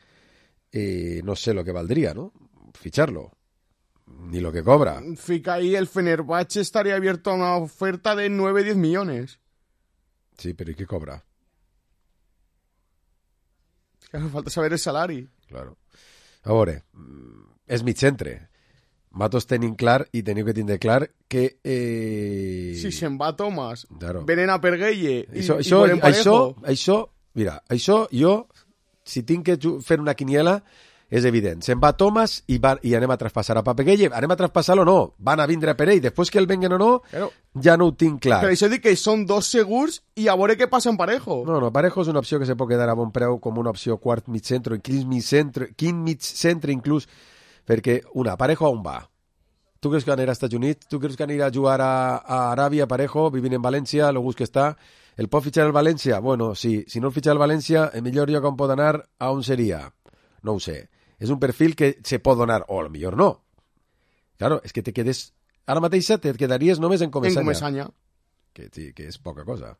eh, no sé lo que valdria, ¿no? Ficharlo. Ni lo que cobra. Fica ahí, el Fenerbahce estaría abierto a una oferta de nueve a diez millones. Sí, pero ¿y qué cobra? Claro, falta saber el salari. Claro. A veure, és mig centre. Matos tenim clar i teniu que tindre clar que... Eh... Si se'n va Thomas, claro. venen a per Gueye i, això, i això, volem Parejo. Això, això, mira, això jo, si tinc que fer una quiniela, és evident. Se'n va Thomas i, va, i anem a traspassar a Pape Gueye. Anem a traspassar-lo o no? Van a vindre per ell. Després que el venguen o no, claro. Ja no ho tinc clar. Però això dic que són dos segurs i a veure què passa en Parejo. No, no, Parejo és una opció que se pot quedar a bon preu com una opció quart mig centre, quin mig centre, quin mig centre inclús, perquè una, Parejo on va? Tu creus que anirà als Estats Units? Tu creus que anirà a jugar a, a Aràbia, Parejo, vivint en València, lo gust que està? El pot fitxar el València? Bueno, sí. Si no el fitxa el València, el millor lloc on pot anar, a on seria? No ho sé. És un perfil que se pot donar, o a lo millor no. Claro, és que te quedes... Ara mateix te quedaries només en Comesaña. En Comesaña. Que, sí, que és poca cosa.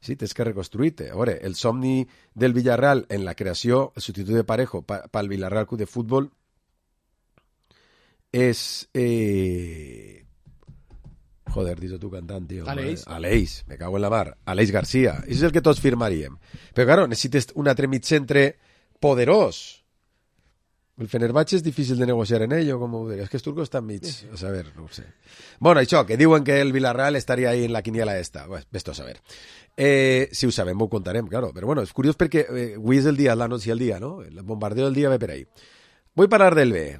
Sí, tens que reconstruir-te. A veure, el somni del Villarreal en la creació, el substitut de Parejo pel Villarreal Club de Futbol, és... Eh... Joder, dius tu cantant, tio. Aleix. Aleix, me cago en la mar. Aleix García. Això és el que tots firmaríem. Però, claro, necessites un altre mig centre poderós. El Fenerbahce és difícil de negociar en ell, o com ho diries? És que els turcos estan mig. A saber, no ho sé. Bueno, això, que diuen que el Villarreal estaria ahí en la quiniela esta. Pues, ves-t'ho a saber. Eh, si ho sabem, ho contarem, claro. Però bueno, és curiós perquè eh, avui és el dia, la noche i el dia, ¿no? El bombardeo del dia ve per ahí. Voy a parar del B,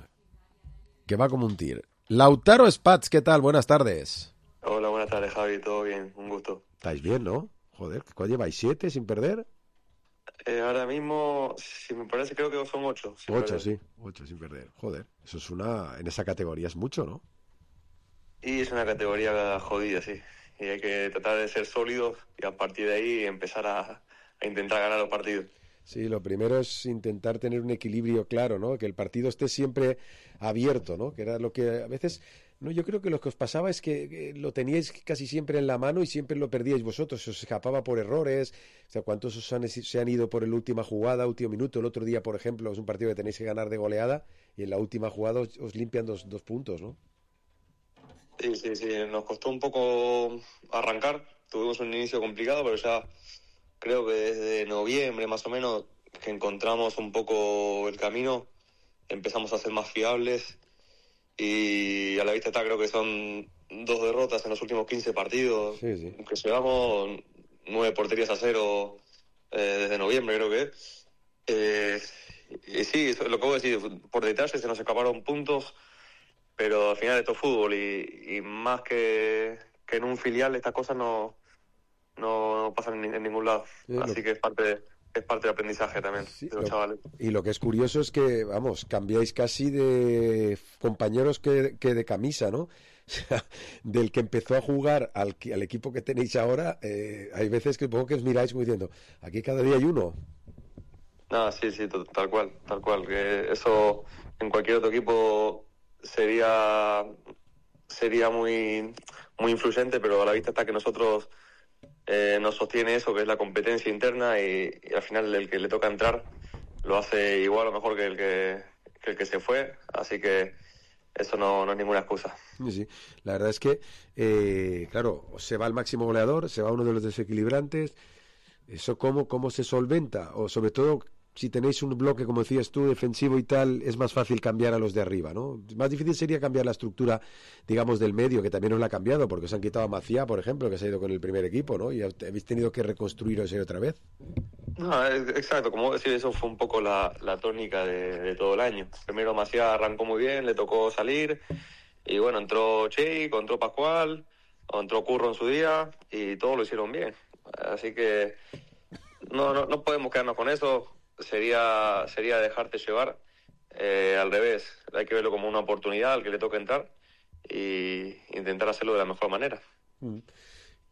que va como un tir. Lautaro Spatz, ¿qué tal? Buenas tardes. Hola, buenas tardes, Javi. Todo bien, un gusto. Estáis bien, ¿no? Joder, ¿cuál lleváis? ¿Siete sin perder? Eh, ahora mismo, si me parece, creo que son ocho. Sin ocho, perder. sí. Ocho sin perder. Joder, eso es una... En esa categoría es mucho, ¿no? Y es una categoría jodida, sí. Y hay que tratar de ser sólidos y a partir de ahí empezar a, a intentar ganar los partidos. Sí, lo primero es intentar tener un equilibrio claro, ¿no? Que el partido esté siempre abierto, ¿no? Que era lo que a veces... No, yo creo que lo que os pasaba es que, que lo teníais casi siempre en la mano y siempre lo perdíais vosotros, se os escapaba por errores. O sea, ¿cuántos os han, se han ido por la última jugada, último minuto? El otro día, por ejemplo, es un partido que tenéis que ganar de goleada y en la última jugada os, os limpian dos, dos puntos, ¿no? Sí, sí, sí. Nos costó un poco arrancar. Tuvimos un inicio complicado, pero ya creo que desde noviembre más o menos que encontramos un poco el camino, empezamos a ser más fiables. Y a la vista está, creo que son dos derrotas en los últimos quince partidos, sí, sí. que llevamos nueve porterías a cero eh, desde noviembre, creo que es. Eh, y sí, lo que voy a decir, por detalle se nos escaparon puntos, pero al final esto es fútbol y, y más que, que en un filial estas cosas no, no, no pasan en, en ningún lado. Sí, Así lo... que es parte... es parte del aprendizaje también sí, de los lo, chavales. Y lo que es curioso es que, vamos, cambiáis casi de compañeros que, que de camisa, ¿no? O sea, del que empezó a jugar al, al equipo que tenéis ahora, eh, hay veces que supongo que os miráis como diciendo, aquí cada día hay uno. No, sí, sí, tal cual, tal cual. Que eso en cualquier otro equipo sería sería muy, muy influyente, pero a la vista está que nosotros... Eh, nos sostiene eso que es la competencia interna y, y al final el que le toca entrar lo hace igual o mejor que el que, que, el que se fue, así que eso no, no es ninguna excusa. Sí, sí. La verdad es que, eh, claro, se va el máximo goleador, se va uno de los desequilibrantes, eso cómo, cómo se solventa, o sobre todo si tenéis un bloque, como decías tú, defensivo y tal, es más fácil cambiar a los de arriba, ¿no? Más difícil sería cambiar la estructura, digamos, del medio, que también os la ha cambiado, porque os han quitado a Maciá, por ejemplo, que se ha ido con el primer equipo, ¿no? Y habéis tenido que reconstruir eso otra vez. No, exacto, como decir, eso fue un poco la, la tónica de, de todo el año. Primero Maciá arrancó muy bien, le tocó salir, y bueno, entró Cheiko, entró Pascual, entró Curro en su día, y todos lo hicieron bien. Así que no, no, no podemos quedarnos con eso. Sería sería dejarte llevar, eh, al revés, hay que verlo como una oportunidad al que le toque entrar y intentar hacerlo de la mejor manera.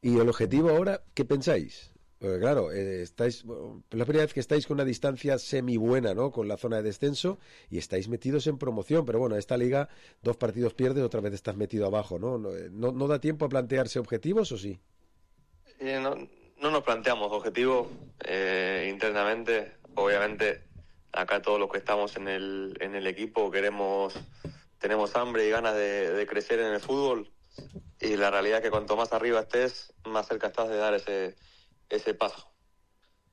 ¿Y el objetivo ahora, qué pensáis? Porque claro, eh, estáis, bueno, es la primera vez que estáis con una distancia semi buena, ¿no? Con la zona de descenso y estáis metidos en promoción, pero bueno, esta liga dos partidos pierdes, otra vez estás metido abajo, ¿no? ¿No, no, no da tiempo a plantearse objetivos o sí? Eh, no, no nos planteamos objetivos eh, internamente. Obviamente, acá todos los que estamos en el, en el equipo queremos, tenemos hambre y ganas de, de crecer en el fútbol. Y la realidad es que cuanto más arriba estés, más cerca estás de dar ese, ese paso.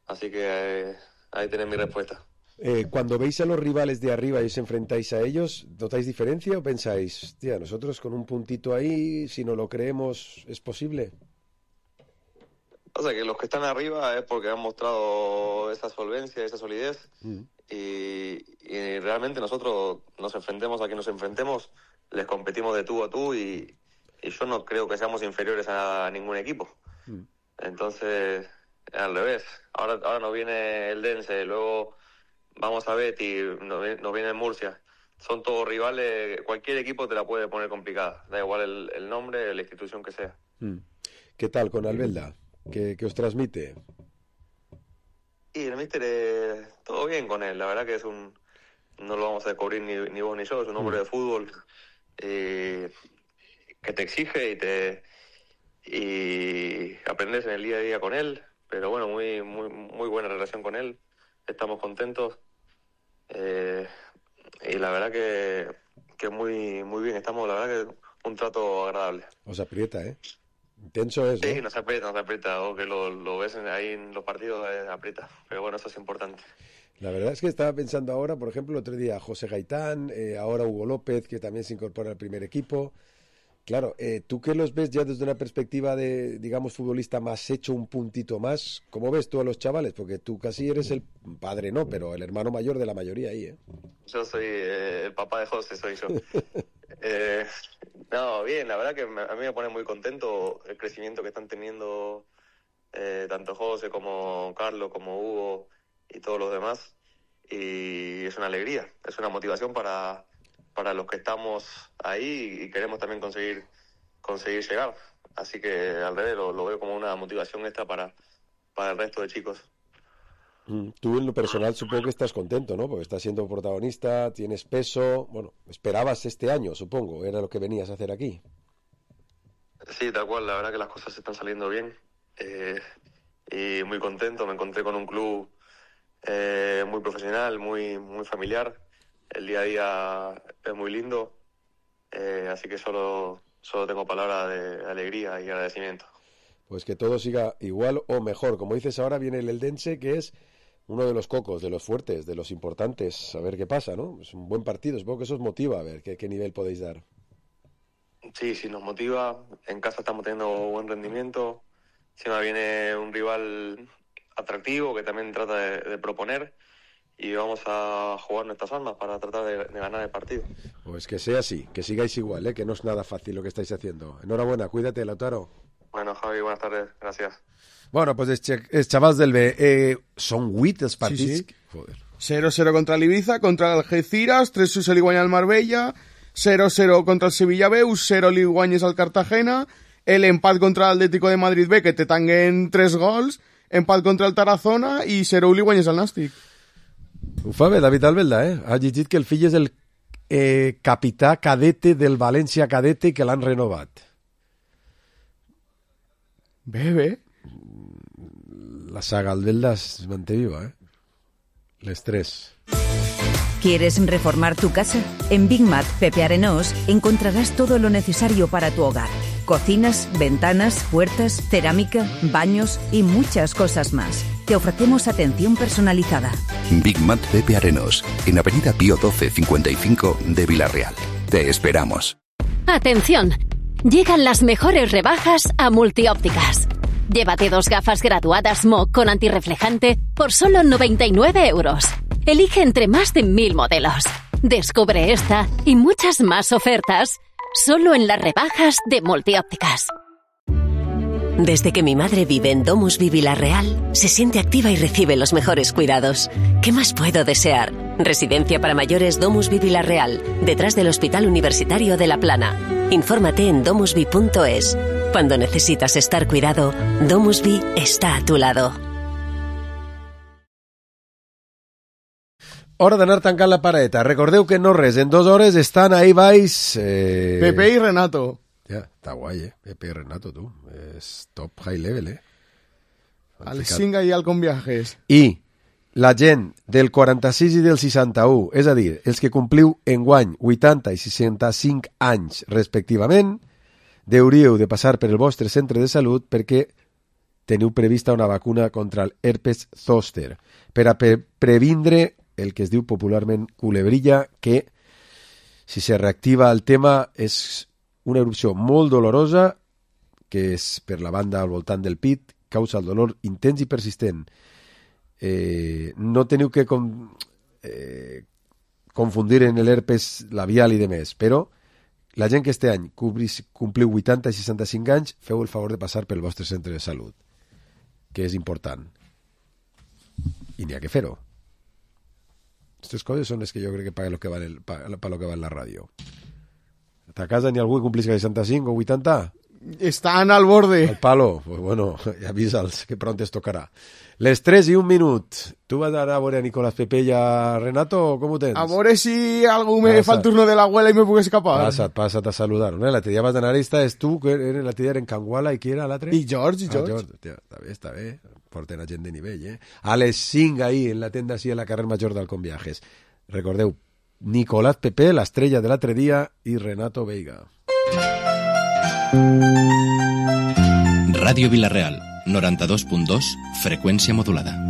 Así que eh, ahí tenés mi respuesta. Eh, cuando veis a los rivales de arriba y os enfrentáis a ellos, ¿notáis diferencia o pensáis, tía, nosotros con un puntito ahí, si no lo creemos, es posible? O sea, que los que están arriba es porque han mostrado esa solvencia, esa solidez. Mm. Y, y realmente nosotros nos enfrentemos a quien nos enfrentemos, les competimos de tú a tú y, y yo no creo que seamos inferiores a ningún equipo. Mm. Entonces, al revés. Ahora, ahora nos viene el Dense, luego vamos a Betty, nos, nos viene Murcia. Son todos rivales, cualquier equipo te la puede poner complicada. Da igual el, el nombre, la institución que sea. Mm. ¿Qué tal con Albelda? ¿Qué, qué os transmite? Y el míster, eh, todo bien con él. La verdad que es un... No lo vamos a descubrir ni, ni vos ni yo. Es un hombre mm. de fútbol eh, que te exige y te... Y aprendes en el día a día con él. Pero bueno, muy muy muy buena relación con él. Estamos contentos. Eh, y la verdad que, que muy muy bien. Estamos, la verdad que un trato agradable. Os aprieta, ¿eh? Intenso es, ¿no? Sí, nos aprieta, nos aprieta. O que lo, lo ves ahí en los partidos, eh, aprieta. Pero bueno, eso es importante. La verdad es que estaba pensando ahora, por ejemplo, el otro día José Gaitán, eh, ahora Hugo López, que también se incorpora al primer equipo. Claro, eh, tú que los ves ya desde una perspectiva de, digamos, futbolista más hecho un puntito más, ¿cómo ves tú a los chavales? Porque tú casi eres el padre, ¿no? Pero el hermano mayor de la mayoría ahí, ¿eh? Yo soy eh, el papá de José, soy yo. eh, no, bien, la verdad que me, a mí me pone muy contento el crecimiento que están teniendo eh, tanto José como Carlos, como Hugo y todos los demás. Y es una alegría, es una motivación para... para los que estamos ahí y queremos también conseguir conseguir llegar. Así que al revés lo, lo veo como una motivación extra para, para el resto de chicos. Tú en lo personal supongo que estás contento, ¿no? Porque estás siendo protagonista, tienes peso. Bueno, esperabas este año, supongo, era lo que venías a hacer aquí. Sí, tal cual, la verdad que las cosas están saliendo bien. Eh, y muy contento, me encontré con un club eh, muy profesional, muy, muy familiar. El día a día es muy lindo, eh, así que solo, solo tengo palabras de alegría y agradecimiento. Pues que todo siga igual o mejor. Como dices, ahora viene el Eldense, que es uno de los cocos, de los fuertes, de los importantes. A ver qué pasa, ¿no? Es un buen partido, supongo que eso os motiva, a ver qué, qué nivel podéis dar. Sí, sí, nos motiva. En casa estamos teniendo buen rendimiento. Encima viene un rival atractivo que también trata de, de proponer. Y vamos a jugar nuestras armas para tratar de, de ganar el partido. Pues que sea así, que sigáis igual, ¿eh? Que no es nada fácil lo que estáis haciendo. Enhorabuena, cuídate, Lautaro. Bueno, Javi, buenas tardes, gracias. Bueno, pues es chavals del B. Eh, son huit els partits. Sí, sí. cero cero contra el Ibiza, contra el Algeciras, tres sis se li guanya al Marbella, cero cero contra el Sevilla B, cero li guanyes al Cartagena, el empat contra el Atlético de Madrid B, que te tanguen tres gols, empat contra el Tarazona i cero li guanyes al Nàstic. Ho fa bé, David Albelda, eh? Ha llegit que el fill és el eh, capità cadete del València cadete i que l'han renovat. Bé, bé. La saga Albelda es manté viva, ¿eh? Les tres. ¿Quieres reformar tu casa? En Big Mat Pepe Arenós encontrarás todo lo necesario para tu hogar. Cocinas, ventanas, puertas, cerámica, baños y muchas cosas más. Te ofrecemos atención personalizada. Big Mat Pepe Arenós, en Avenida Pío doce cincuenta y cinco de Villarreal. Te esperamos. ¡Atención! Llegan las mejores rebajas a Multiópticas. Llévate dos gafas graduadas M O con antirreflejante por solo noventa y nueve euros. Elige entre más de mil modelos. Descubre esta y muchas más ofertas solo en las rebajas de Multiópticas. Desde que mi madre vive en DomusVi Villarreal, se siente activa y recibe los mejores cuidados. ¿Qué más puedo desear? Residencia para mayores DomusVi Villarreal, detrás del Hospital Universitario de La Plana. Infórmate en domusvi punto es. Cuando necesitas estar cuidado, DomusVi está a tu lado. Hora d'anar tancant la paradeta. Recordeu que no res, en dues hores estan ahí baix... Eh... Pepe i Renato. Ja, està guai, eh? Pepe i Renato, tu. És top high level, eh? A les cinc ahir al Conviajes. I la gent del quaranta-sis i del seixanta-u, és a dir, els que compliu enguany vuitanta i seixanta-cinc anys respectivament, hauríeu de passar per el vostre centre de salut perquè teniu prevista una vacuna contra el herpes zòster per a pre previndre el que es diu popularment culebrilla, que si se reactiva el tema és una erupció molt dolorosa que és per la banda al voltant del pit, causa el dolor intens i persistent. Eh, no teniu que com, eh, confundir en l'herpes labial i demés, però la gent que este any cobris, compliu vuitanta i seixanta-cinc anys, feu el favor de passar pel vostre centre de salut, que és important. I n'hi ha que fer-ho. Aquestes coses són les que jo crec que paga lo que va en, el, paga lo que va en la ràdio. A casa n'hi ha algú que complisca seixanta-cinc o vuitanta? Estan al borde. Al palo. Pues bueno, avisa'ls que pronto es tocarà. Les tres i un minut. Tu vas anar a veure a Nicolás Pepe i a Renato o com ho tens? A veure si algú me Passa. fa el turno de l'abuela i me puc escapar. Passa't, passa't a saludar. ¿No? L'altre dia vas anar, estaves tu, que l'altre dia era en Canguala, i qui era l'altre? I George, i George. Ah, George. Tia, està bé, està bé. Porten a gent de nivell, eh? A les cinc ahí, en la tenda, així, a la carrer Major d'Alcon Viajes. Recordeu, Nicolás Pepe, l'estrella de l'altre dia, i Renato Veiga. Ràdio Vila-real, noranta-dos punt dos, freqüència modulada.